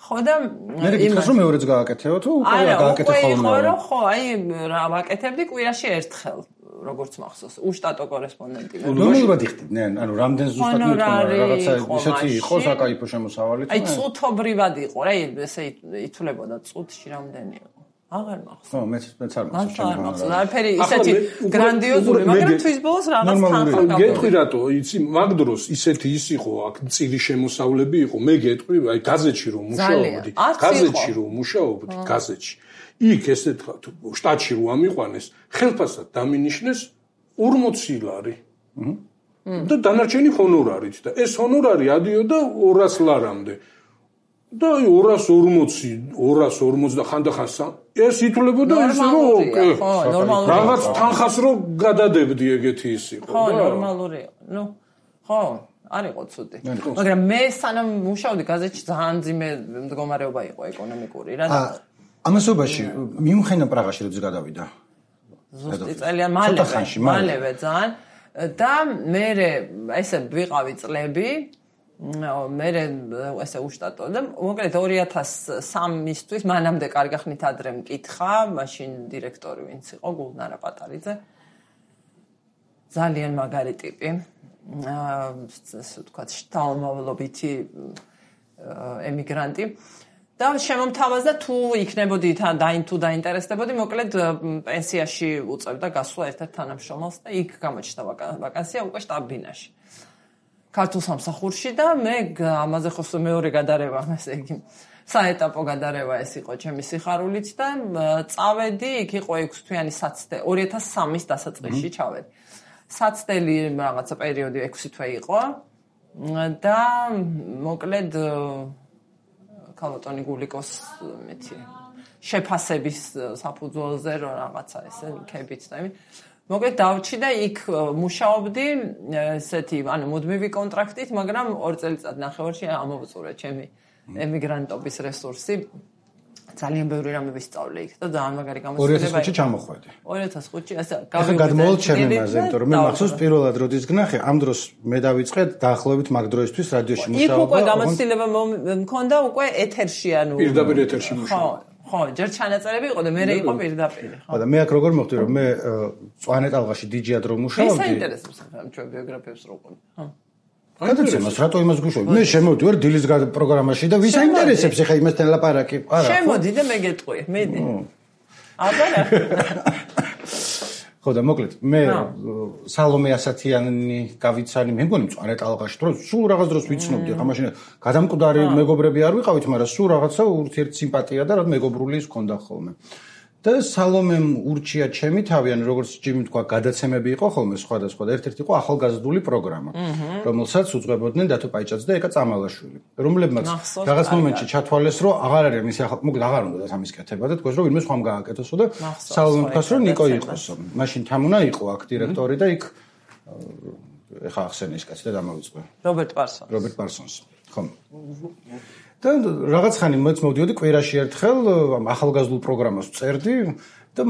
ხო და მე გითხრას რომ მეორეც გააკეთეო თუ უკვე გააკეთე ხოლმე ხო აი რა ვაკეთებდი კვირაში ერთხელ როგორც მახსოვს უშტატო კორესპონდენტი ნორმალურად იხდიდნენ ანუ რამდენ ზუსტად მithkom რაღაცა ისეთი იყო საკაიფო შემოსავალი აი წუთობრივად იყო რა ესე ითვლებოდა წუთში რამდენი იყო აღარ მახსოვს ხო მეც არ მახსოვს არაფერი ისეთი გრანდიოზული მაგრამ თვის ბოლოს რაღაც თანხა გეტყვი რატო იცი მაგ დროს ისეთი ის იყო აქ წირი შემოსავლები იყო მე გეტყვი აი გაზეთში რომ მუშაობდი გაზეთში იქ ესეთ შტატში რო ამიყვანეს ხელფასად დამინიშნეს 40 ლარი და დანარჩენი ჰონორარით და ეს ჰონორარი ადიოდა 200 ლარამდე და 240 და ხანდახან ეს ითვლებოდა ისე რომ ნორმალური რაღაც თანხას რომ გადადებდი ეგეთი ის იყო ხო ნორმალურია ხო არ იყო ცუდი მაგრამ მე სანამ მუშაობდი გაზეთში ძალიან ძიმე მდგომარეობა იყო ეკონომიკური რა ამასობაში მიუხედავად პრაღაში როდის გადავიდა ზუსტი წელია მალევე ძალიან და მე ესე ვიყავი წლები მე ესე უშტატო და მოკლედ 2003-ისთვის მანამდე კარგი ხნით ადრე მკითხა მაშინ დირექტორი ვინც იყო გულნარა პატარიძე ძალიან მაგარი ტიპი ასე ვთქვათ შთამომავლობითი ემიგრანტი და შემომთავაზდა თუ იქნებოდი თუ დაინტერესდებოდი მოკლედ პენსიაში უწევდა გასვლა ერთ-ერთ თანამშრომელს და იქ გამოჩნდა ვაკანსია უკვე შტაბ-ბინაში ქართულ სამსახურში და მე ამაზე ხო მეორე გადარევა ესე იგი საეტაპო გადარევა ეს იყო ჩემი სიხარულით და წავედი იქ იყო 6 თვიანი საცდელი 2003-ის დასაწყისში ჩავედი საცდელი რაღაცა პერიოდი 6 თვე იყო და მოკლედ ქალბატონი გულიკოს მეთი შეფასების საფუძველზე რომ რაღაცა ესე იქებით და იმით მოკლედ დავჭი და იქ მუშაობდი ესეთი ანუ მუდმივი კონტრაქტით მაგრამ 2 წელიწად ნახევარში ამოვწურე ჩემი ემიგრანტობის რესურსი ძალიან ბევრი რამე ვისწავლე იქ და ძალიან მაგარი გამოცდილება 2005-ში ჩამოხვედი 2005-ში ასე გადმოვალ ჩემი მასზე იმიტომ რომ მე მახსოვს პირველად როდის გნახე ამ დროს მე დავიწყე დაახლოებით მაგ დროისთვის რადიოში მუშაობა იქ უკვე გამოცდილება მქონდა უკვე ეთერში ანუ პირდაპირ ეთერში მუშაობა ხო, ჯერ ჩანაწერები იყო და მე იყო პირდაპირ, ხო. და მე აქ როგორ მოხდი რომ მე წვანე ტალღაში დიჯად რომ მუშაობდი. მე საინტერესებს ჩვენ ბიოგრაფიებს რო ყვები. ხო. გადაცემას რატო იმას გუშოვი? მე შემოვდი ვარ დილის პროგრამაში და ვის აინტერესებს ახლა იმასთან ლაპარაკი? არა. შემოდი და მე გეტყვი, მედი. აბა ხო და მოკლედ მე სალომე ასათიანი გავიცანი მე მგონი მწვანე ტალღაში თუ სულ რაღაც დროს ვიცნობდი ახლა მაშინ გადამკვდარი მეგობრები არ ვიყავით მაგრამ სულ რაღაცა ურთიერთსიმპათია და რა მეგობრული ის ქონდა ხოლმე და სალომემ ურჩია ჩემი თავი ანუ როგორც ჯიმი თქვა გადაცემები იყო ხოლმე სხვადასხვა და ერთ-ერთი იყო ახალგაზრდული პროგრამა რომელსაც უძღვებოდნენ დათო პაიჭაძე და ეკა წამალაშვილი რომლებმაც რაღაც მომენტში ჩათვალეს რომ აღარ არის მისი ახალ მოკლედ აღარ უნდა ამის კეთება და თქოს რომ ვინმე სხვამ გააკეთოსო და სალომემ თქვა რომ ნიკო იყოსო მაშინ თამუნა იყო აქ დირექტორი და იქ ეხა ახსენე ის კაცი და დამავიწყე რობერტ პარსონს ხო და რაღაც ხანი მეც მოვდიოდი კვირაში ერთხელ ახალგაზრდულ პროგრამას ვწერდი და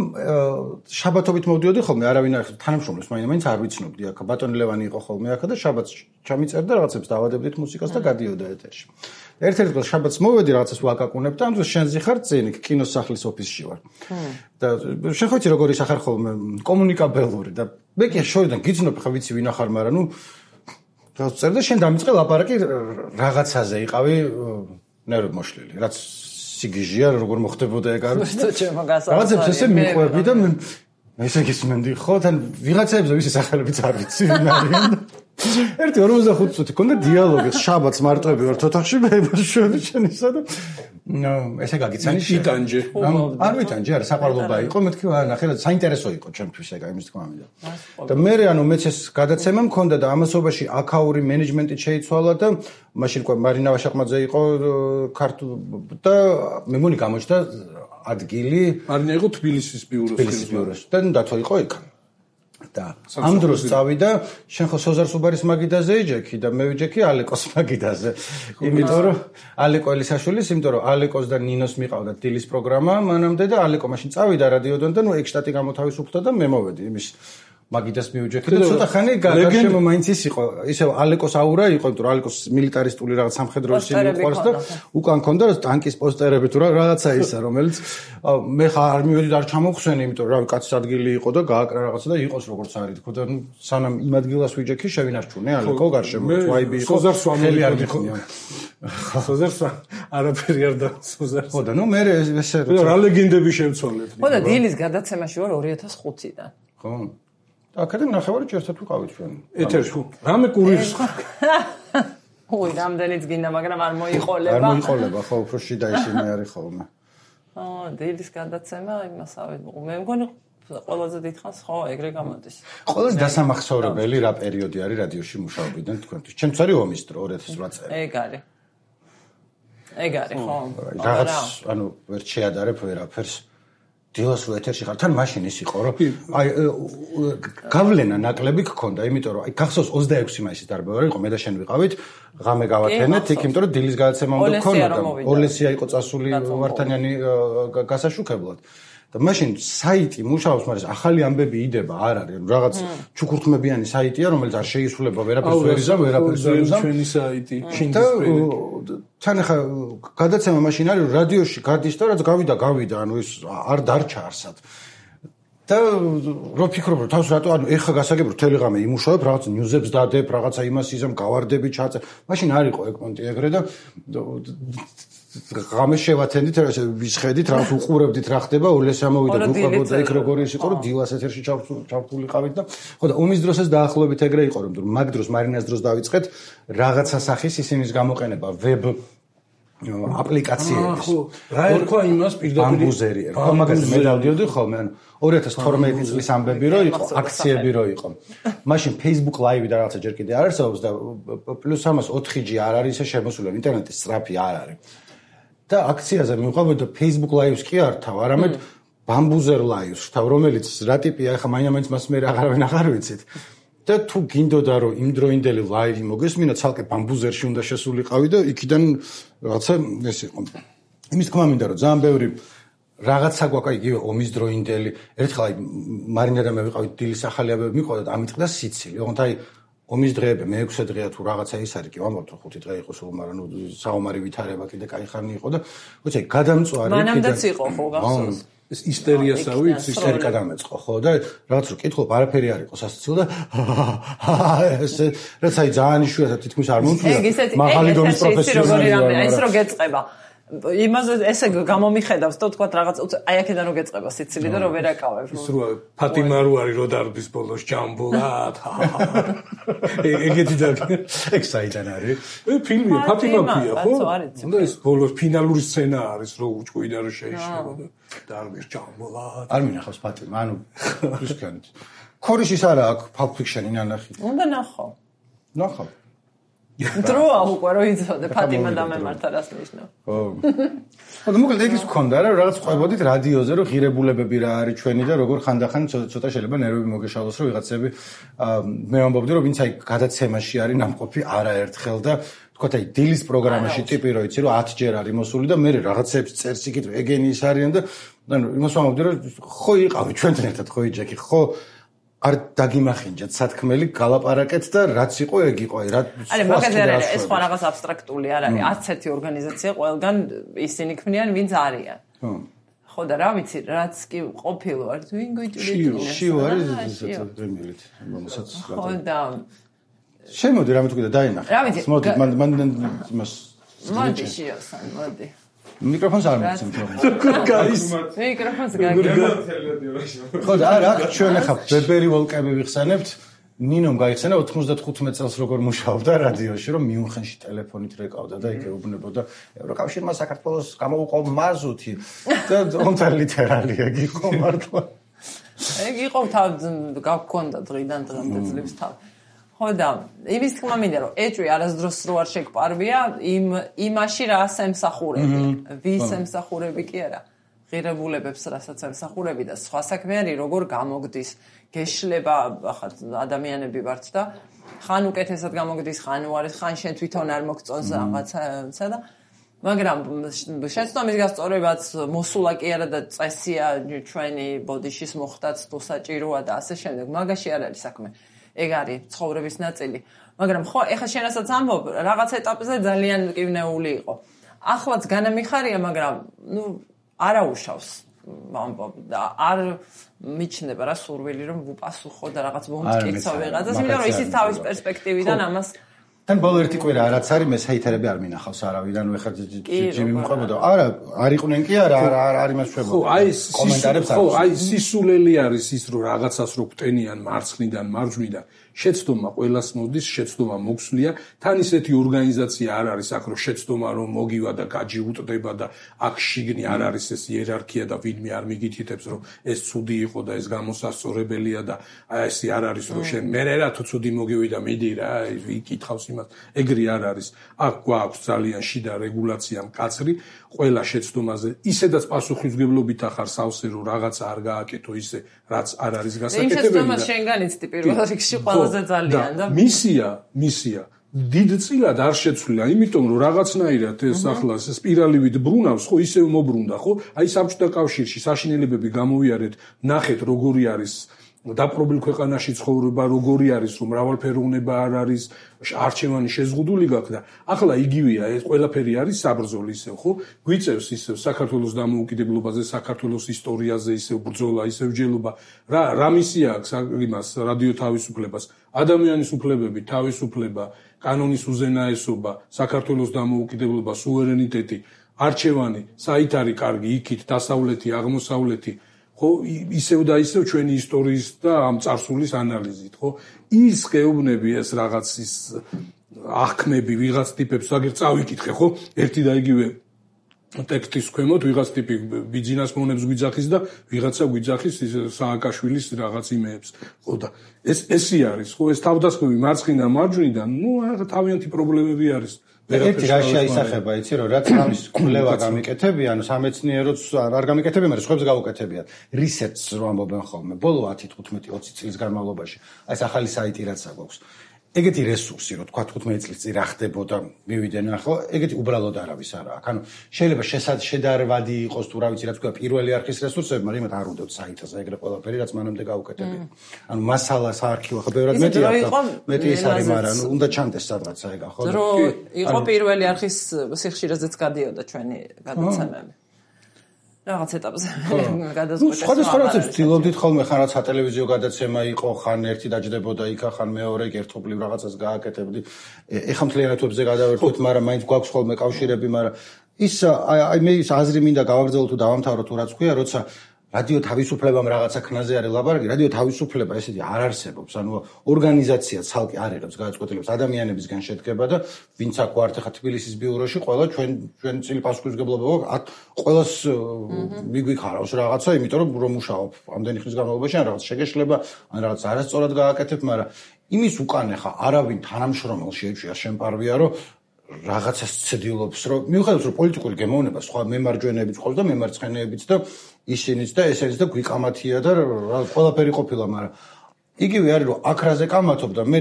შაბათობით მოვდიოდი ხოლმე არავინ არ თანამშრომლებს მაინც არ ვიცნობდი აქ ბატონი ლევანი იყო ხოლმე აქ და შაბათს ჩამიწერდა რაღაცებს დავადებდით მუსიკას და გადიოდა ეთერში ერთ-ერთ დღეს შაბათს მოვედი რაღაცას ვაკაკუნებ და ამ დროს შენზე ხარ წინ კინოს სახლის ოფისში ვარ და შენ ხო იცი როგორ ისახარ ხოლმე კომუნიკაბელური და მე კი შორიდან გიცნობ ხა ვიცი ვინ ახარ მაგრამ ნუ წერდა შენ დამიწყე ლაპარაკი რაღაცაზე იყავი ნერვები მოშლილი რაც სიგიჟია როგორ მოხდებოდა ეგ არის რაღაცებს ესე მიყვები და მე ესე გისმენდი ხო თან ვიღაცებს ვისი სახელებიც არ ვიცი ვინ არიან ერთი 45 წუთი ქონდა დიალოგი შაბათს მარტოები ვართ ოთახში მე შენისა და ესე გაგიცანი შიტანჯე არ ვითანჯე არა საყვარლობა იყო მეთქი ნახე რა საინტერესო იყო ჩემთვის ეგა იმის თქმა მინდა და მე ანუ მეც ეს გადაცემა მქონდა და ამასობაში აკაური მენეჯმენტი შეიცვალა და მაშინ ყო მარინა ვაშაყმაძე იყო ქართულ და მე მგონი გამოჩნდა ადგილი მარინა იყო თბილისის ბიუროს და დათო იყო იქ და ამ დროს წავიდა შენ ხო სოზარ სუბარის მაგიდაზე ეჯექი და მე ვიჯექი ალეკოს მაგიდაზე იმიტომ რომ ალეკო ელისაშვილის იმიტომ რომ ალეკოს და ნინოს მიყავდა დილის პროგრამა მანამდე და ალეკო მაშინ წავიდა რადიოდან და ნუ ეგ შტატი გამოთავისუფლდა და მე მოვედი იმის მაგიდას მივიჯექი და ცოტა ხანი გარშემო მაინც ის იყო ისევ ალეკოს აურა იყო იმიტომ რომ ალეკოს მილიტარისტული რაღაც სამხედრო ისინი უყვარს და უკან ქონდა ტანკის პოსტერები თუ რაღაცა ისა რომელიც მე ხარ არ მივედი და არ ჩამოვხსენე იმიტომ რომ რავი კაცის ადგილი იყო და გააკრა რაღაცა და იყოს როგორც არის თქო და სანამ იმ ადგილას ვიჯექი შევინარჩუნე ალეკო გარშემო ვაიბი იყო ხელი არ მიქონია სოზარს არაფერი არ და სოზარს ხო და ნუ მე ესე რა ლეგენდები შევცვალეთ ხო და დილის გადაცემაში ვარ 2005-დან ხო აკადემ ნახევარი ერთად ვიყავით ჩვენ. ეთერში. რამე კურირს ხარ? ой, რამდენიც გინდა, მაგრამ არ მოიყოლება. არ მოიყოლება, ხო, უფრო შიდა ისინი არის ხოლმე. დილის გადაცემა იმასავე. მე მგონი ყველაზე დიდხანს ხო, ეგრე გამოდის. ყველაზე დასამახსოვრებელი რა პერიოდი არის რადიოში მუშაობიდან თქვენთვის? ჩემთვის არის ომის დრო 2008 წელი. ეგ არის. ეგ არის ხო? რაღაც ანუ ვერ შეადარებ ვერაფერს. დილას რო ეთერში ხარ, თან მაშინ ის იყო, რომ აი გავლენა ნაკლები გქონდა, იმიტომ რომ აი გახსოვს 26 მაისის დარბევა იყო, მე და შენ ვიყავით, ღამე გავათენეთ, იქ იმიტომ რომ დილის გადაცემა უნდა გქონოდა. ოლესია იყო წასული ვართანიანი გასაშუქებლად. და მაშინ საიტი მუშაობს, მაგრამ ახალი ამბები იდება, არ არის, რაღაც ჩუქურთმებიანი საიტია, რომელიც არ შეისრულება ვერაფერს ვერიზამ. ჩვენი საიტი, თან ახლა გადაცემა მაშინ არის, რადიოში გადის და რაც გავიდა, ანუ ეს არ დარჩა არსად. და რო ფიქრობ, რომ თავს რატო, ანუ ეხა გასაგებ, რომ თელეგრამი იმუშავებ, რაღაც ნიუზებს დადებ, რაღაცა იმას იზამ, გავარდები ჩაწერ. მაშინ არ იყო ეკმონტი ეგრე და ღამე შევათენდით, ვისხედით, რაღაც უყურებდით რა ხდება, ოლესა მოვიდა, გვიყვებოდა იქ როგორი ის იყო, რომ დილას ეთერში ჩავთულიყავით და ხო და ომის დროსაც დაახლოებით ეგრე იყო, რომ მაგ დროს მარინას დროს დავიწყეთ რაღაცა სახის ისინის გამოყენება ვებ აპლიკაციების. ხო, რა ერქვა იმას პირდაპირ ბამბუზერი ერქვა, მაგაზე მე დავდიოდი ხოლმე, ანუ 2012 წლის ამბები რო იყო, აქციები რო იყო. მაშინ Facebook Live და რაღაცა ჯერ კიდე არ არსებობს და პლუს ამას 4G არ არის ისე შემოსული, ინტერნეტის სწრაფი არ არის. და აქციაზე მივყვებოდა Facebook Live-ს კი არ თავ, არამედ Bambuzer Live-ს თავ, რომელიც რა ტიპია, ახლა მაინც მას მე აღარავინ აღარ ვიცით. და თუ გინდოდა რომ იმდროინდელი live მოგესმინა, ცალკე Bambuzer-ში უნდა შესულიყავი და იქიდან რაღაცა ეს იყო. იმის თქმა მინდა რომ ძალიან ბევრი რაღაცა გვაქვს, იგივე ომის დროინდელი. ერთხელ აი მარინა და მე ვიყავით დილის ახალი ამბები მიყვოდა და ამიტყდა სიცილი. ოღონდ აი ომის დღეები მე-6 დღეა თუ რაღაცა ის არის, კი ვამბობთ რომ 5 დღე იყო სულ, მაგრამ ნუ საომარი ვითარება კიდე კაი ხანი იყო და ვიცი გადამწვარი კიდე მანამდეც იყო ხო გახსოვს ეს ისტერიასავით ისტერიკა დამეწყო ხო და რაღაც რო კითხულობ არაფერი არ იყო სასაცილო და ეს რაც აი ძალიან იშვიათად თითქმის არ მომწვია მაღალი დონის პროფესიონალი ის რო გეწყება იმაზე ესე გამომიხედავს და თქვა რაღაც აი აქედან რო გეწყება სიცილი და რო ვერ აკავებ ის რო ფატიმა რო არის რო დარბის ბოლოს ჯამბულად ეგეთი და ეგ საიდან არის ფილმია ფატიმა ფია ხო და ეს ბოლოს ფინალური სცენა არის რო უჭყვიდა რო შეიშალა და დარბის ჯამბულად არ მინახავს ფატიმა ანუ ისქენ ქორიშის არა აქვს Pulp Fiction-ი ნანახი უნდა ნახო ნახავ დროა უკვე რო იცოდე ფატიმა და მემართა რას ნიშნავს. ხო. ხო და მოკლედ ეგ ის გქონდა რა რაღაც ყვებოდით რადიოზე რომ ღირებულებები რა არის ჩვენი და როგორ ხანდახან ცოტა შეიძლება ნერვები მოგეშალოს რომ ვიღაცები მე ვამბობდი რომ ვინც აი გადაცემაში არის ნამყოფი არაერთხელ და თქვა აი დილის პროგრამაში ტიპი რო იცი რომ 10 ჯერ არის მოსული და მე რაღაცებს წერს იქით ეგენი ის არიან და ანუ იმას ვამბობდი რომ ხო იყავი ჩვენთან ერთად ხო იჯექი ხო არ დაგიმახინჯეთ სათქმელი გალაპარაკეთ და რაც იყო ეგ იყო აი რა არის მაგაზე არის ეს ხო რაღაც აბსტრაქტული არ არის 11 ორგანიზაცია ყველგან ისინი ქმნიან ვინც არიან ხო და რა ვიცი რაც კი ყოფილო არის ვინ გიჭირდება შიო არის ესეც პრემიერით რომელსაც ხო და შემოდი რამე თუ კიდე დაინახე რა ვიცი მოდი მან იმას მოდი შიოსან მოდი მიკროფონს არ მოცემ გაის მიკროფონს გაგება ხო და არა ჩვენ ახლა ბებერი ვოლკები ვიხსენებთ ნინომ გაიხსენა 95 წელს როგორ მუშაობდა რადიოში რომ მიუნხენში ტელეფონით რეკავდა და იქ ეუბნებოდა ევროკავშირმა საქართველოს გამოუყო მაზუთი და თუმცა ლიტერალი ეგ იყო მართლა ეგ იყო თავ გაგქონდა დღიდან დღემდე ძლებს თავ ხო და იმის თქმა მინდა რომ ეჭვი არასდროს რო არ შეგპარვია იმაში რას ემსახურები ვის ემსახურები კი არა ღირებულებებს რასაც ემსახურები და სხვა საქმე არის როგორ გამოგდის გეშლება ახლა ადამიანები ვართ და ხან უკეთესად გამოგდის ხან უარეს ხან შენ თვითონ არ მოგწონს რაღაცა და მაგრამ შეცდომის გასწორებაც მოსულა კი არა და წესია ჩვენი ბოდიშის მოხდაც თუ საჭიროა და ასე შემდეგ მაგაში არ არის საქმე ეგ არის ცხოვრების ნაწილი მაგრამ ხო ეხლა შენასაც ამბობ რაღაც ეტაპზე ძალიან მკვნეული იყო ახლაც განამიხარია მაგრამ ნუ არაუშავს ამბობ და არ მიჩნდება რა სურვილი რომ ვუპასუხო და რაღაც მომტკიცო ვიღაცას იმიტომ რომ ისიც თავის პერსპექტივიდან ამას თან ბოლო ერთი კვირა რაც არის მე საითერები არ მინახავს არავიდან ვეხარ ჯიმი მიყვებოდა არა არ იყვნენ კი არა არ იმას შვებოდა ხო აი კომენტარებს ხო აი სისულელი არის ის რომ რაღაცას რო გტენიან მარცხნიდან მარჯვნიდან შეცდომა ყველას მოდის შეცდომა მოგვსვლია თან ისეთი ორგანიზაცია არ არის აქ რომ შეცდომა რომ მოგივა და გაჯი უტდება და აქ შიგნი არ არის ეს იერარქია და ვინმე არ მიგითითებს რომ ეს ცუდი იყო და ეს გამოსასწორებელია და აი ესე არ არის რომ შენ მე რა თუ ცუდი მოგივიდა მიდი რა იკითხავს იმას. ეგრე არ არის. აქ გვაქვს ძალიან შიდა რეგულაცია მკაცრი ყველა შეცდომაზე. ისედაც პასუხისმგებლობით ახარ სავსე რომ რაღაცა არ გააკეთო ისე, რაც არ არის გასაკეთებელი. იმ შეცდომას შენ განიცდი პირველ რიგში ყველაზე ძალიან და მისია დიდწილად არ შეცვლილა, იმიტომ რომ რაღაცნაირად ეს ახლა სპირალივით ბრუნავს, ხო, ისევ მობრუნდა, ხო? აი საბჭოთა კავშირში საშინელებები გამოვიარეთ, ნახეთ როგორი არის დაპყრობილ ქვეყანაში ცხოვრება, როგორი არის, რომ მრავალფეროვნება არ არის, არჩევანი შეზღუდული გაქვს და ახლა იგივეა, ეს ყველაფერი არის საბრძოლო ისევ, ხო? გვიწევს ისევ საქართველოს დამოუკიდებლობაზე, საქართველოს ისტორიაზე, ისევ ბრძოლა, ისევ ჯელობა. რა მისია აქვს იმას რადიო თავისუფლებას? ადამიანის უფლებები, თავისუფლება, კანონის უზენაესობა, საქართველოს დამოუკიდებლობა, სუვერენიტეტი, არჩევანი, საით არის კარგი, იქით დასავლეთი, აღმოსავლეთი, ხო, ისევ და ისევ ჩვენი ისტორიის და ამ წარსულის ანალიზით, ხო? ის გეუბნები ეს რაღაც ის აღქმები ვიღაც ტიპებს, აგერ წავიკითხე, ხო? ერთი და იგივე ტექსტის ქვემოთ ვიღაც ტიპი ბიძინას მონებს გვიძახის და ვიღაცა გვიძახის სააკაშვილის რაღაც იმეებს, ხო და ესე არის, ხო, ეს თავდასხმები მარცხნიდან მარჯვნიდან, თავიანთი პრობლემები არის. ერთი რა შეისახება, იცი რომ რაც ამის კვლევა გამიკეთებიან, სამეცნიეროც არ გამიკეთებიან, მაგრამ სხვებს გავუკეთებიათ. რისერჩს რო ამბობენ ხოლმე, ბოლო 10-15-20 წლის განმავლობაში. აი ეს ახალი საიტი რაც აქვს. ეგეთი რესურსი, რო თქვა 15 წლის წინ რა ხდებოდა, მივიდნენ ახლა, ეგეთი უბრალოდ არავის არა აქვს. ანუ შეიძლება შედარვადი იყოს თუ რა ვიცი, რაც თქვა პირველი არქის რესურსები, მაგრამ იმათ არ უნდათ საიტაზე ეგრე ყველაფერი, რაც მანამდე გავუკეთებია. ანუ მასალა საარქივო ხო ბევრად მეტია. მეტი ის არის, მაგრამ უნდა ჩანდეს სადღაცა ეგა, ხო? დრო იყო პირველი არქის სიხშირეზეც გადიოდა ჩვენი გადაცემები. რაღაც ეტაპზე გადაწყვეტეს. სხვადასხვა რაცებს ვცდილობდით ხოლმე, ხან რაც სატელევიზიო გადაცემა იყო, ხან ერთი დაჯდებოდა იქ, ხან მეორე ერთობლივ რაღაცას გააკეთებდი. ეხლა მთლიანად ვებზე გადავერთოთ, მაგრამ მაინც გვაქვს ხოლმე კავშირები, მაგრამ ის აი მე ის აზრი მინდა გავაგრძელო თუ დავამთავრო თუ რაც ქვია, როცა რადიო თავისუფლებამ რაღაცა ქნაზე არის ლაბარაკი, რადიო თავისუფლება ესეთი არ არსებობს, ანუ ორგანიზაცია ცალკე არ იღებს გადაწყვეტილებას, ადამიანებისგან შედგება და ვინც აქ ვართ ახლა თბილისის ბიუროში, ყველა ჩვენ წილი პასუხისმგებლობა გვაქვს, ყველას მიგვიქარავს რაღაცა, იმიტომ რომ მუშაობ ამდენი ხნის განმავლობაში, ან რაღაც შეგეშლება, ან რაღაც არასწორად გააკეთებ, მაგრამ იმის უკან ახლა არავინ თანამშრომელს შეეჩვია შემპარვია, რომ რაღაცას ცდილობს, რომ მიუხედავად რომ პოლიტიკური გემოვნება სხვა მემარჯვენეებიც ყავს და მემარცხენეებიც და ისინიც და ესენიც და გვიკამათია და ყველაფერი ყოფილა, მაგრამ იგივე არის რომ აქ რაზე კამათობ და მე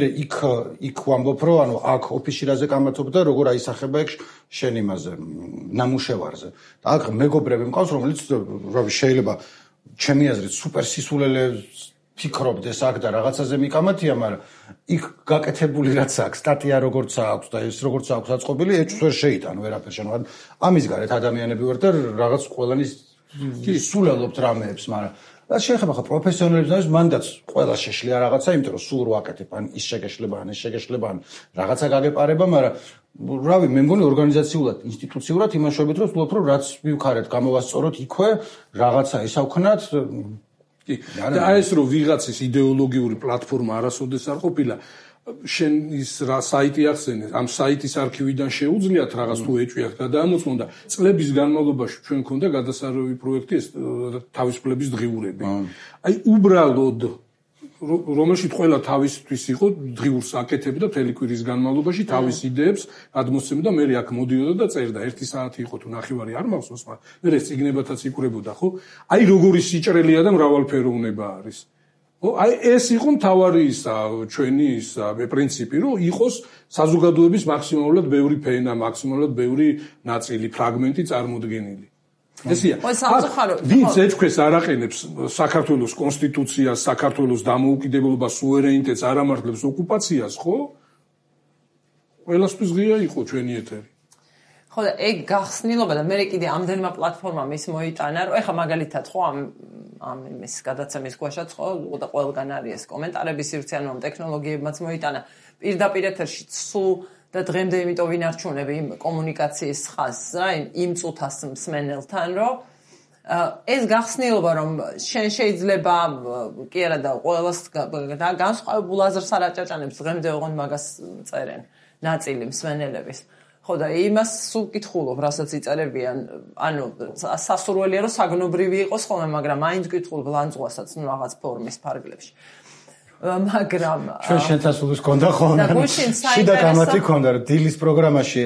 იქ ვამბობ რომ ანუ აქ ოფისში რაზე კამათობ და როგორ აისახება ეგ შენ იმაზე ნამუშევარზე და აქ მეგობრები მყავს რომელიც შეიძლება ჩემი აზრით სუპერ სისულელეს ფიქრობდეს აქ და რაღაცაზე მიკამათია, მაგრამ იქ გაკეთებული რაც აქვს, სტატია როგორც აქვს და ეს როგორც აქვს აწყობილი, ეჭვს ვერ შეიტან ვერაფერს შენ. ამის გარეთ ადამიანები ვარ და რაღაც ყველანი სულელობთ რამეებს, მაგრამ რაც შეეხება ხა პროფესიონალებს და მანდაც ყველა შეშლია რაღაცა, იმიტომ რომ სულ რო აკეთებ, ან ის შეგეშლება, ან ეს შეგეშლება, ან რაღაცა გაგეპარება, მაგრამ რავი, მე მგონი ორგანიზაციულად, ინსტიტუციურად იმაშობით რომ ვთქვათ, რომ რაც მივქარეთ, გამოვასწოროთ იქვე, რაღაცა ისავქნათ კი, და ეს რომ ვიღაცის იდეოლოგიური პლატფორმა არასოდეს არ ყოფილა, შენ ის რა საიტი ახსენე, ამ საიტის არქივიდან შეუძლიათ რაღაც თუ ეჭვიათ გადაამოწმონ და წლების განმავლობაში ჩვენ მქონდა გადასარევი პროექტი ეს თავისუფლების დღიურები. აი უბრალოდ რომელშიც ყველა თავისთვის იყო დღიურს აკეთებდა მთელი კვირის განმავლობაში თავის იდეებს გადმოსცემდა და მე აქ მოდიოდა და წერდა 1 საათი იყო თუ ნახევარი არ მახსოვს, მაგრამ მე ეს წიგნებათაც იკვრებოდა, ხო? აი როგორი სიჭრელეა და მრავალფეროვნება არის. ხო, აი ეს იყო მთავარი ისა ჩვენი ისა პრინციპი, რომ იყოს საზოგადოების მაქსიმალურად ბევრი ფენა, მაქსიმალურად ბევრი ნაწილი, ფრაგმენტი წარმოდგენილი. ესია. ვინც ეჭქვეს არ აყენებს საქართველოს კონსტიტუციას, საქართველოს დამოუკიდებლობას, სუვერენიტეტს, არ ამართლებს ოკუპაციას, ხო? ყველასთვის ღია იყო ჩვენი ეთერი. ხო და ეგ გახსნილობა და მე კიდე ამდენმა პლატფორმამ ის მოიტანა, რომ ეხა მაგალითად ხო ამ იმის გადაცემის გვაშაც ხო და ყველგან არის ეს კომენტარები სივრცე, ანუ ამ ტექნოლოგიებმაც მოიტანა პირდაპირ ეთერში სულ და დღემდე იმიტომ ვინარჩუნები იმ კომუნიკაციის ხაზს რა იმ წუთას მსმენელთან რომ ეს გახსნილობა რომ შენ შეიძლება კი არა და ყველას განსხვავებულ აზრს არ აჭაჭანებს დღემდე ოღონდ მაგას წერენ ნაწილი მსმენელების ხო და იმას სულ კითხულობ რასაც იწერებიან ანუ სასურველია რომ საგნობრივი იყოს ხოლმე მაგრამ მაინც კითხულობ ლანძღვასაც ნუ რაღაც ფორმის ფარგლებში მაგრამ ჩვენ შენთასულის გონდა ხოლმე. შიდა გამათი ქონდა რომ დილის პროგრამაში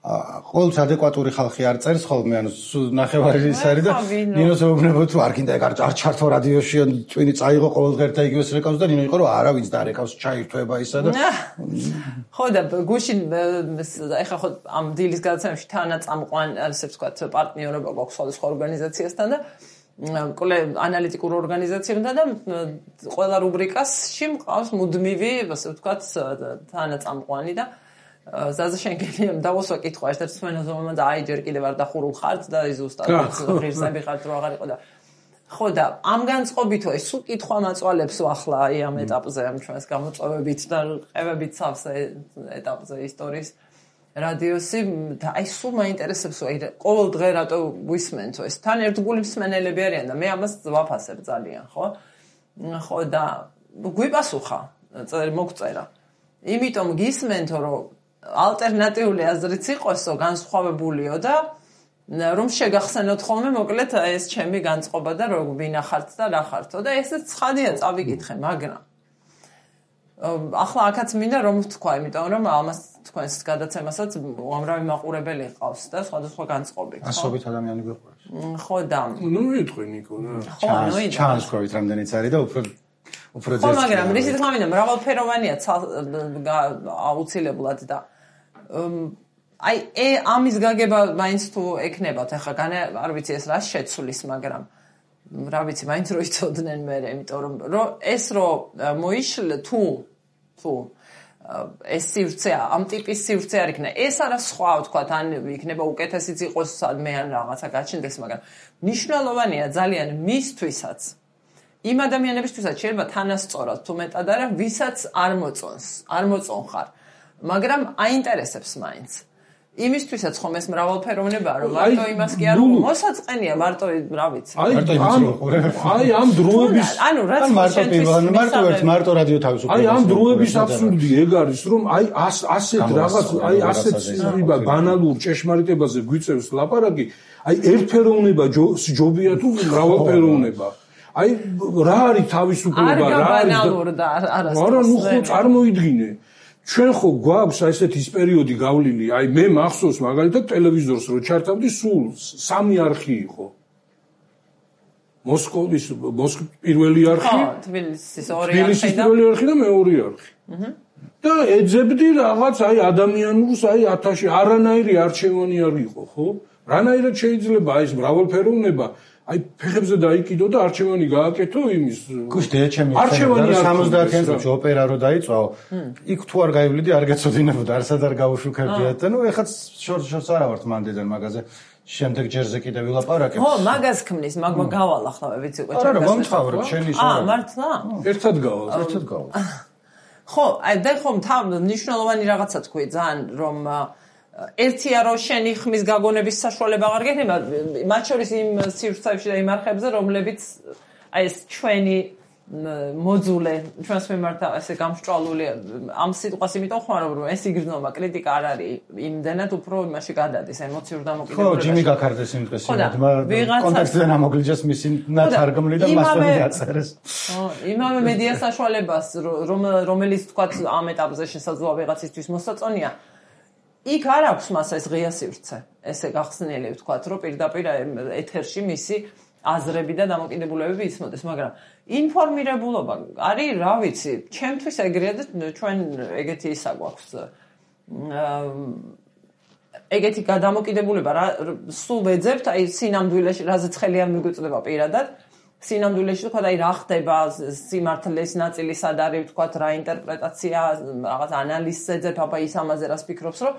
ყოველთვის ადეკვატური ხალხი არ წერს ხოლმე, ანუ ნახევარი ის არის და ნინოს ეუბნება თუ არ გინდა ეგ არ ჩართო რადიოში, ან წვინი წაიღო ყოველდღე და იგივეს რეკავს და ნინო იყო რომ არავის დარეკავს, ჩაირთვება ისა და ხო და გუშინ ეხა ხო ამ დილის გადაცემაში თანაწამყვან ასე ვთქვათ პარტნიორობა გვაქვს სხვადასხვა ორგანიზაციასთან და ანალიტიკურ ორგანიზაციებთან და ყველა რუბრიკაში მყავს მუდმივი ასე ვთქვათ თანაწამყვანი და ზაზა შენგელია დავუსვა კითხვა ერთ-ერთ სვენოზოვმა და აი ჯერ კიდევ არ დახურულ ხართ და ზუსტად ღირსები ხართ რო აღარ იყო და ხო და ამ განწყობითო ეს სულ კითხვა მაწვალებს ახლა აი ამ ეტაპზე ამ ჩვენს გამოწვევებით და ყევებით სავსე ეტაპზე ისტორიის რადიოსი და აი სულ მაინტერესებს აი ყოველ დღე რატო ვისმენთო ეს თან ერთგული მსმენელები არიან და მე ამას ვაფასებ ძალიან ხო და გვიპასუხა მოგწერა იმიტომ გისმენთო რომ ალტერნატიული აზრიც იყოსო განსხვავებულიო და რომ შეგახსენოთ ხოლმე მოკლედ ეს ჩემი განწყობა და რომ ვინახართ და რა ხართო და ესეც ცხადია წავიკითხე მაგრამ ახლა აქაც მინდა რომ ვთქვა იმიტომ რომ ამას თქვენს გადაცემასაც უამრავი მაყურებელი ყავს და სხვადასხვა განწყობებით ასობით ადამიანი გვიყვარს ხო და ნუ იტყვი ნიკო რა ჩანს ყვით რამდენიც არის და უფრო ხო მაგრამ რისი თქმა მინდა მრავალფეროვანია აუცილებლად და აი ამის გაგება მაინც თუ ეკნებათ ახლა არ ვიცი ეს რა შეცვლის მაგრამ რა ვიცი მაინც რო იცოდნენ მე იმიტომ რომ ეს რო მოიშლ თუ ეს სივრცე ამ ტიპის სივრცე არ იქნება ეს არა სხვა ვთქვათ ან იქნება უკეთესიც იყოს სადმე ან რაღაცა გაჩნდეს მაგრამ მნიშვნელოვანია ძალიან მისთვისაც იმ ადამიანებისთვისაც შეიძლება თანასწორად თუ მეტად არა ვისაც არ მოწონხარ მაგრამ აინტერესებს მაინც იმისთვისაც ხომ ეს მრავალფეროვნებაა რომ მარტო იმას კი არ მოსაწყენია მარტო რა ვიცი აი ამ დროების ანუ რაც მარტო რადიო თავისუფლება აი ამ დროების აბსურდი ეგ არის რომ აი ასეთ რაღაც აი ასეთ სიბა ბანალურ ჭეშმარიტებაზე გვიწევს ლაპარაკი აი ერთფეროვნება ჯობია თუ მრავალფეროვნება აი რა არის თავისუფლება რა არის არა ნუ ხო წარმოიდგინე ჩვენ ხო გვაქვს ესეთი პერიოდი გავლილი აი მე მახსოვს მაგალითად ტელევიზორს რო ჩართავდი სულ 3 არხი იყო მოსკოვის პირველი არხი თბილისის პირველი არხი და მეორე არხი და ეძებდი რაღაც აი ადამიანურს აი 1000 არანაირი არჩევანი არ იყო ხო რანაირად შეიძლება აი ეს მრავალფეროვნება აი ფეხებზე დაიკიდო და არჩევანი გააკეთო იმის გუშინ ჩემი არჩევანი 70-იან წელს ოპერა რო დაიწყო იქ თუ არ გაივლიდი არ გეცოდინებოდა არსად არ გავუშუქებდიათ და ნუ ეხაც შორს არა ვართ მანდიდან მაგაზე შემდეგ ჯერზე კიდე ვილაპარაკებ ხო მაგას ქმნის მაგმა გავალ ახლა ვიცი უკვე არა მომთხოვრებ შენი შორა მართლა ერთად გავალ ხო აი და ხომ მნიშვნელოვანი რაღაცა თქვი ძალიან რომ ერთია რომ შენი ხმის გაგონების საშუალება აღარ გექნება მათ შორის იმ სივრცეებში და იმ არხებზე რომლებიც აი ეს ჩვენი მოძულე ჩვენს მიმართ ესე გამსჭვალული ამ სიტყვას იმიტომ ხმარო რომ ეს იგრძნობა კრიტიკა არ არის იმდენად უფრო იმაში გადადის ემოციურ დამოკიდებულებაში ხო ჯიმი გაქარდეს იმ დღეს კონტექსტზე ამოგლიჯეს მისი ნათარგმნი და მასვე დაწერეს ხო იმავე მედია საშუალებას რომელიც თქვა ამ ეტაპზე შესაძლოა ვიღაცისთვის მოსაწონია იქ არ აქვს მას ეს ღია სივრცე ესე გახსნილი ვთქვათ რომ პირდაპირ ეთერში მისი აზრები და დამოკიდებულებები ისმოდეს მაგრამ ინფორმირებულობა არის რა ვიცი ჩემთვის ეგრეა და ჩვენ ეგეთი ისა გვაქვს ეგეთი გადამოკიდებულება რა სულ ვეძებთ აი სინამდვილეში რაზეც ხელი არ მიგვიწდება პირადად სინამდვილეში თქვა აი რა ხდება სიმართლეს ნაწილი სად არის თქვა რა ინტერპრეტაცია რაღაც ანალიზზე ძებ აბა ის ამაზე რას ფიქრობს რომ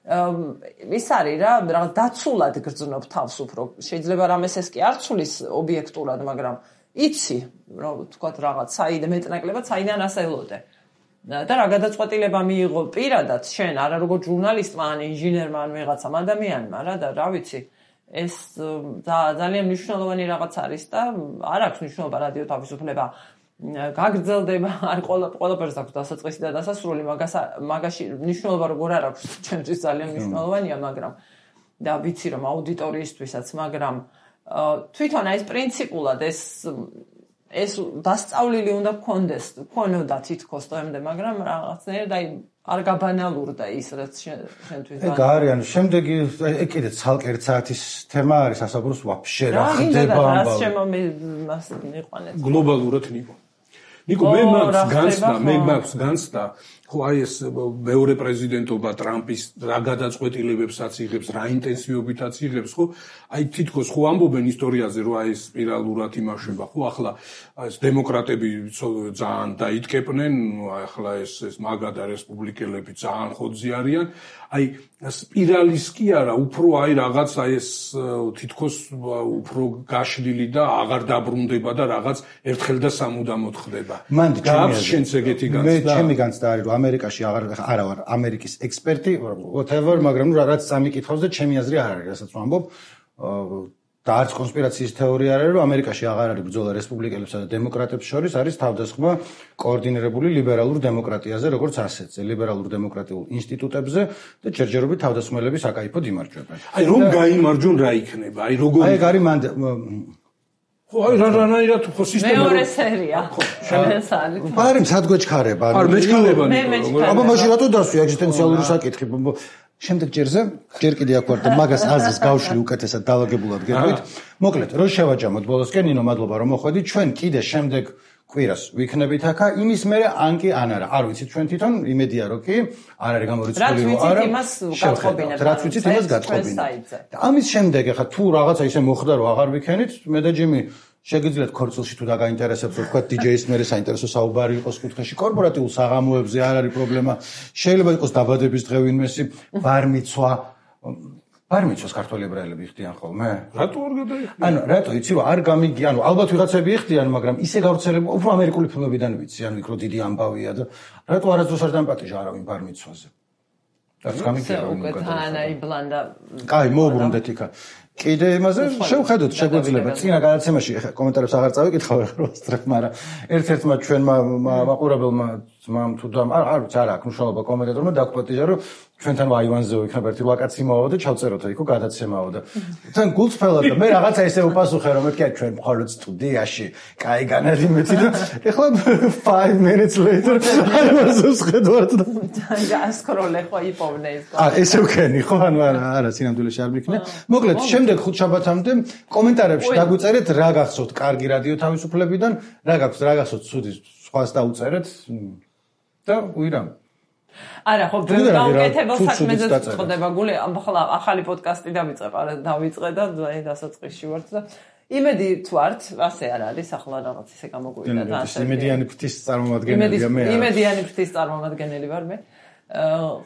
ის არის რა რაღაც დაცულად გრძნობ თავს უფრო შეიძლება რამეს ეს კი არ ცulis ობიექტურად მაგრამ იცი რომ თქვა რაღაც საიდე მეტნაკლებად საიდან ასელოდე და რა გადაწყვეტილება მიიღო პირადად შენ არა როგორ ჟურნალისტმა ან ინჟინერმა ან ვიღაცამ ადამიანმა რა და რა ვიცი ეს ძალიან მნიშვნელოვანი რაღაც არის და არ აქვს მნიშვნელობა რადიო თავისუფლება გაგრძელდება არ ყველაფერს აქვს დასაწყისი და დასასრული მაგაში მნიშვნელობა როგორ არ აქვს ჩემთვის ძალიან მნიშვნელოვანია მაგრამ და ვიცი რომ აუდიტორიისთვისაც მაგრამ თვითონ ეს პრინციპულად ეს დასწავლილი უნდა ქონოდა თითქოს დღემდე, მაგრამ რაღაცნაირად აი არ გაბანალურდა ის რაც შენთვის ეგ არის, ანუ შემდეგი ეგ კიდე ცალკე ერთ საათის თემა არის ასაუბროს ვაფშე რა ხდება ამბავი. რა შემომას მიყვანეთ. გლობალურად ნიკო მე მაქვს განცდა ხო აი ეს მეორე პრეზიდენტობა ტრამპის რა გადაწყვეტილებებსაც იღებს, რა ინტენსივობითაც იღებს, ხო? აი თითქოს ხო ამბობენ ისტორიაზე, რომ აი სპირალურად იმაშება, ხო? ახლა ეს დემოკრატები ძალიან დაიტკეპნენ, ახლა ეს მაგა და რესპუბლიკელები ძალიან ხოძი არიან. აი სპირალის კი არა, უფრო აი რაღაც აი ეს თითქოს უფრო გაშლილი და აღარ დაბრუნდება და რაღაც ერთხელ და სამუდამოდ ხდება. გაქვს შენც ეგეთი განცდა? მე ჩემი განცდა არის რომ ამერიკაში არა ვარ ამერიკის ექსპერტი, whatever, მაგრამ რაც წამიკითხავს და ჩემი აზრი არ არის, რასაც ვამბობ. და არც კონსპირაციის თეორია არ არის, რომ ამერიკაში აღარ არის ბრძოლა რესპუბლიკელებსა და დემოკრატებს შორის, არის თავდასხმა კოორდინირებული ლიბერალურ დემოკრატიაზე, როგორც ასეთზე, ლიბერალურ დემოკრატიულ ინსტიტუტებზე და ჯერჯერობით თავდასხმელები საკაიფოდ იმარჯვებენ. აი რომ გაიმარჯვონ რა იქნება? აი როგორ აი ეგ არის ხო აი რანაირად ხო სისტემა მეორე სერია. ეს არის. პარემ სადგოჩქარება. არ მეჩქარება ნიკო. აბა მაშინ რატო დასვი ეგზისტენციალური საკითხი? შემდეგ ჯერზე ჯერ კიდე აქ ვარ და მაგას აზრის გავშლი უკეთესად დაალაგებულად გეტყვით. მოკლედ, რო შევაჯამოთ ბოლოსკენ, ნინო, მადლობა რომ მოხვედით. ჩვენ კიდე შემდეგ კვირას ვიქნებით აქა, იმის მერე ან კი ან არა. არ ვიცით ჩვენ თვითონ, იმედია რომ კი, არ არის გამორიცხული რომ არა. რაც ვიცით იმას გათხოვინეთ. და ამის შემდეგ ახლა თუ რაღაცა ისე მოხდა რომ აღარ ვიქენით, მე და ჯიმი შეგიძლიათ ქორწილში თუ დაგაინტერესებთ, რომ თქვა DJ-ის მერე საინტერესო საუბარი იყოს კუთხეში, კორპორატიულ საღამოებზე არ არის პრობლემა. შეიძლება იყოს დაბადების დღე ვინმესი, ბარმიცვას ქართველი ებრაელები იხდიან ხოლმე? რატო არ გადაიხდიან? ანუ რატო იცი რომ არ გამიგია, ანუ ალბათ ვიღაცები იხდიან, მაგრამ ისე გავრცელებული, უფრო ამერიკული ფილმებიდან ვიცი, ანუ იქ რო დიდი ამბავია და რატო არასდროს არ დამპატიჟა არავინ ბარმიცვაზე? რაც გამიგია რომ უკეთანაიბლანდა. კაი, მოუბრუნდეთ იქა. კიდე იმაზე შევხედოთ შეგვიძლია წინა გადაცემაში კომენტარებს აღარ წავიკითხავ რა ვასწრებ, მაგრამ ერთ-ერთმა ჩვენმა მაყურებელმა ძმამ თუ დამ არ ვიცი არა აქვს მნიშვნელობა კომენტატორმა დაგვპატიჟა რომ ჩვენთან აივანზე ვიქნებ ერთი ვაკაცი მოვა და ჩავწეროთ იქო გადაცემაო და თან გულწრფელად და მე რაღაცა ესე უპასუხე რომ მეთქი ჩვენ მხოლოდ სტუდიაში კაი განადიმეთი და ეხლა 5 minutes later აივანზე ვხედავთ და გასკროლე ხო იპოვნე ის ესე ვქენი ხო ანუ არა სინამდვილეში არ მიქნე მოკლედ შემდეგ ხუთშაბათამდე კომენტარებში დაგვიწერეთ რა გახსოვთ კარგი რადიო თავისუფლებიდან რა გახსოვთ ცუდი სხვას დაუწერეთ და ვირამ არა ხო გაუკეთებელ საქმეზე წდება გული ახლა ახალი პოდკასტი დავიწყე და დასაწყისში ვართ და იმედი თუ ართ ასე არ არის ახლა რაღაც ისე გამოგვიდა და ასე იმედიანი ფრთის წარმომადგენელია მე იმედიანი ფრთის წარმომადგენელი ვარ მე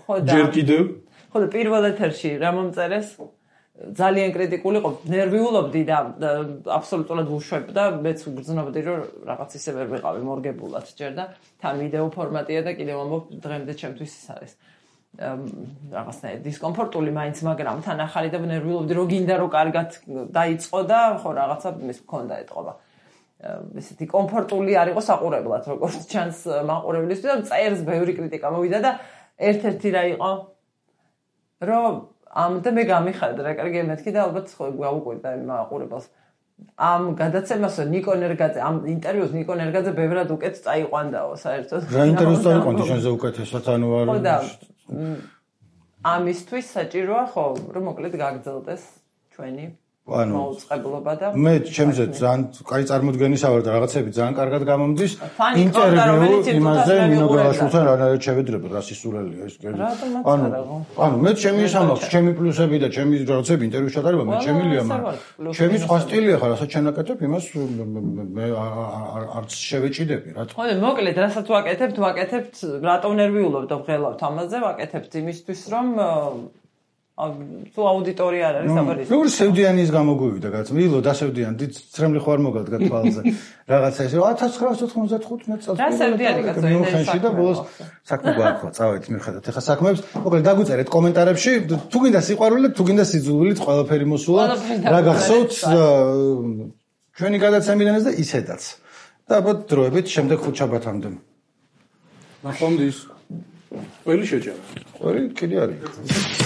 ხო და ჯერ კიდევ ხო და პირველ ეთერში რა მომწერეს ძალიან კრიტიკული იყო ნერვიულობდი და აბსოლუტურად ვუშვებ და მეც ვგრძნობდი რომ რაღაც ისე ვერ ვიყავი მორგებულად ჯერ და თან ვიდეო ფორმატია და კიდევ ამბობ დღემდე ჩემთვის ის არის რაღაცნაირად დისკომფორტული მაინც მაგრამ თან ახალი და ნერვიულობდი რომ გინდა რომ კარგად დაიწყო და ხო რაღაცა მის მქონდა ეტყობა ესეთი კომფორტული არ იყო საყურებლად როგორც ჩანს მაყურებლისთვის და წერს ბევრი კრიტიკა მოვიდა და ერთ-ერთი რა იყო რომ და მე გამიხარდა რა კარგი მეთქი და ალბათ ხო გავუკვირდა მაყურებელს ამ გადაცემას ნიკო ნერგაძე ამ ინტერვიუს ნიკო ნერგაძე ბევრად უკეთ წაიყვანდაო საერთოდ რა ინტერვიუს წაიყვანდი შენზე უკეთესად ანუ არ ხო და ამისთვის საჭიროა ხო რომ მოკლედ გაგრძელდეს ჩვენი მოუწყებლობა და მე ჩემზე ძალიან კაი წარმოდგენისა ვარ და რაღაცები ძალიან კარგად გამომდის ინტერვიუ იმაზე ნინო გალაშვილთან რანაირად შევედრებოდ რა სისულელია ეს ანუ მე ჩემი სამაქვს ჩემი პლუსები და ჩემი რაღაცები ინტერვიუს ჩატარება მე ჩემილია მაგრამ ჩემი სხვა სტილია ხარ რასაც შენაკეთებ იმას მე არც შევეჭიდები რა თქმა უნდა მოკლედ რასაც ვაკეთებთ რატო ნერვიულობ და ვღელავთ ამაზე ვაკეთებთ იმისთვის რომ თუ აუდიტორია არ არის აბარის. როგორ სევდიანის გამოგვივიდა კაც. მილო დასევდიან დიდ ცრემლი ხო არ მოგადგა თვალზე. რაღაცა ესე 1995 წელს. რა სევდიანი კაცო ინტერესში და ბოლოს საქმე გვაქვს. წავედით მივხედოთ. ეხლა საქმეებს მოკლედ დაგვიწერეთ კომენტარებში. თუ გინდა სიყვარულით, თუ გინდა სიძულვილით, ყველაფერი მოსულა. რა გახსოვთ ჩვენი გადაცემიდანაც და ისედაც. და ალბათ დროებით შემდეგ ხუთშაბათამდე. ნახვამდის. ყველი შეჭერა. ყველი კიდე არის.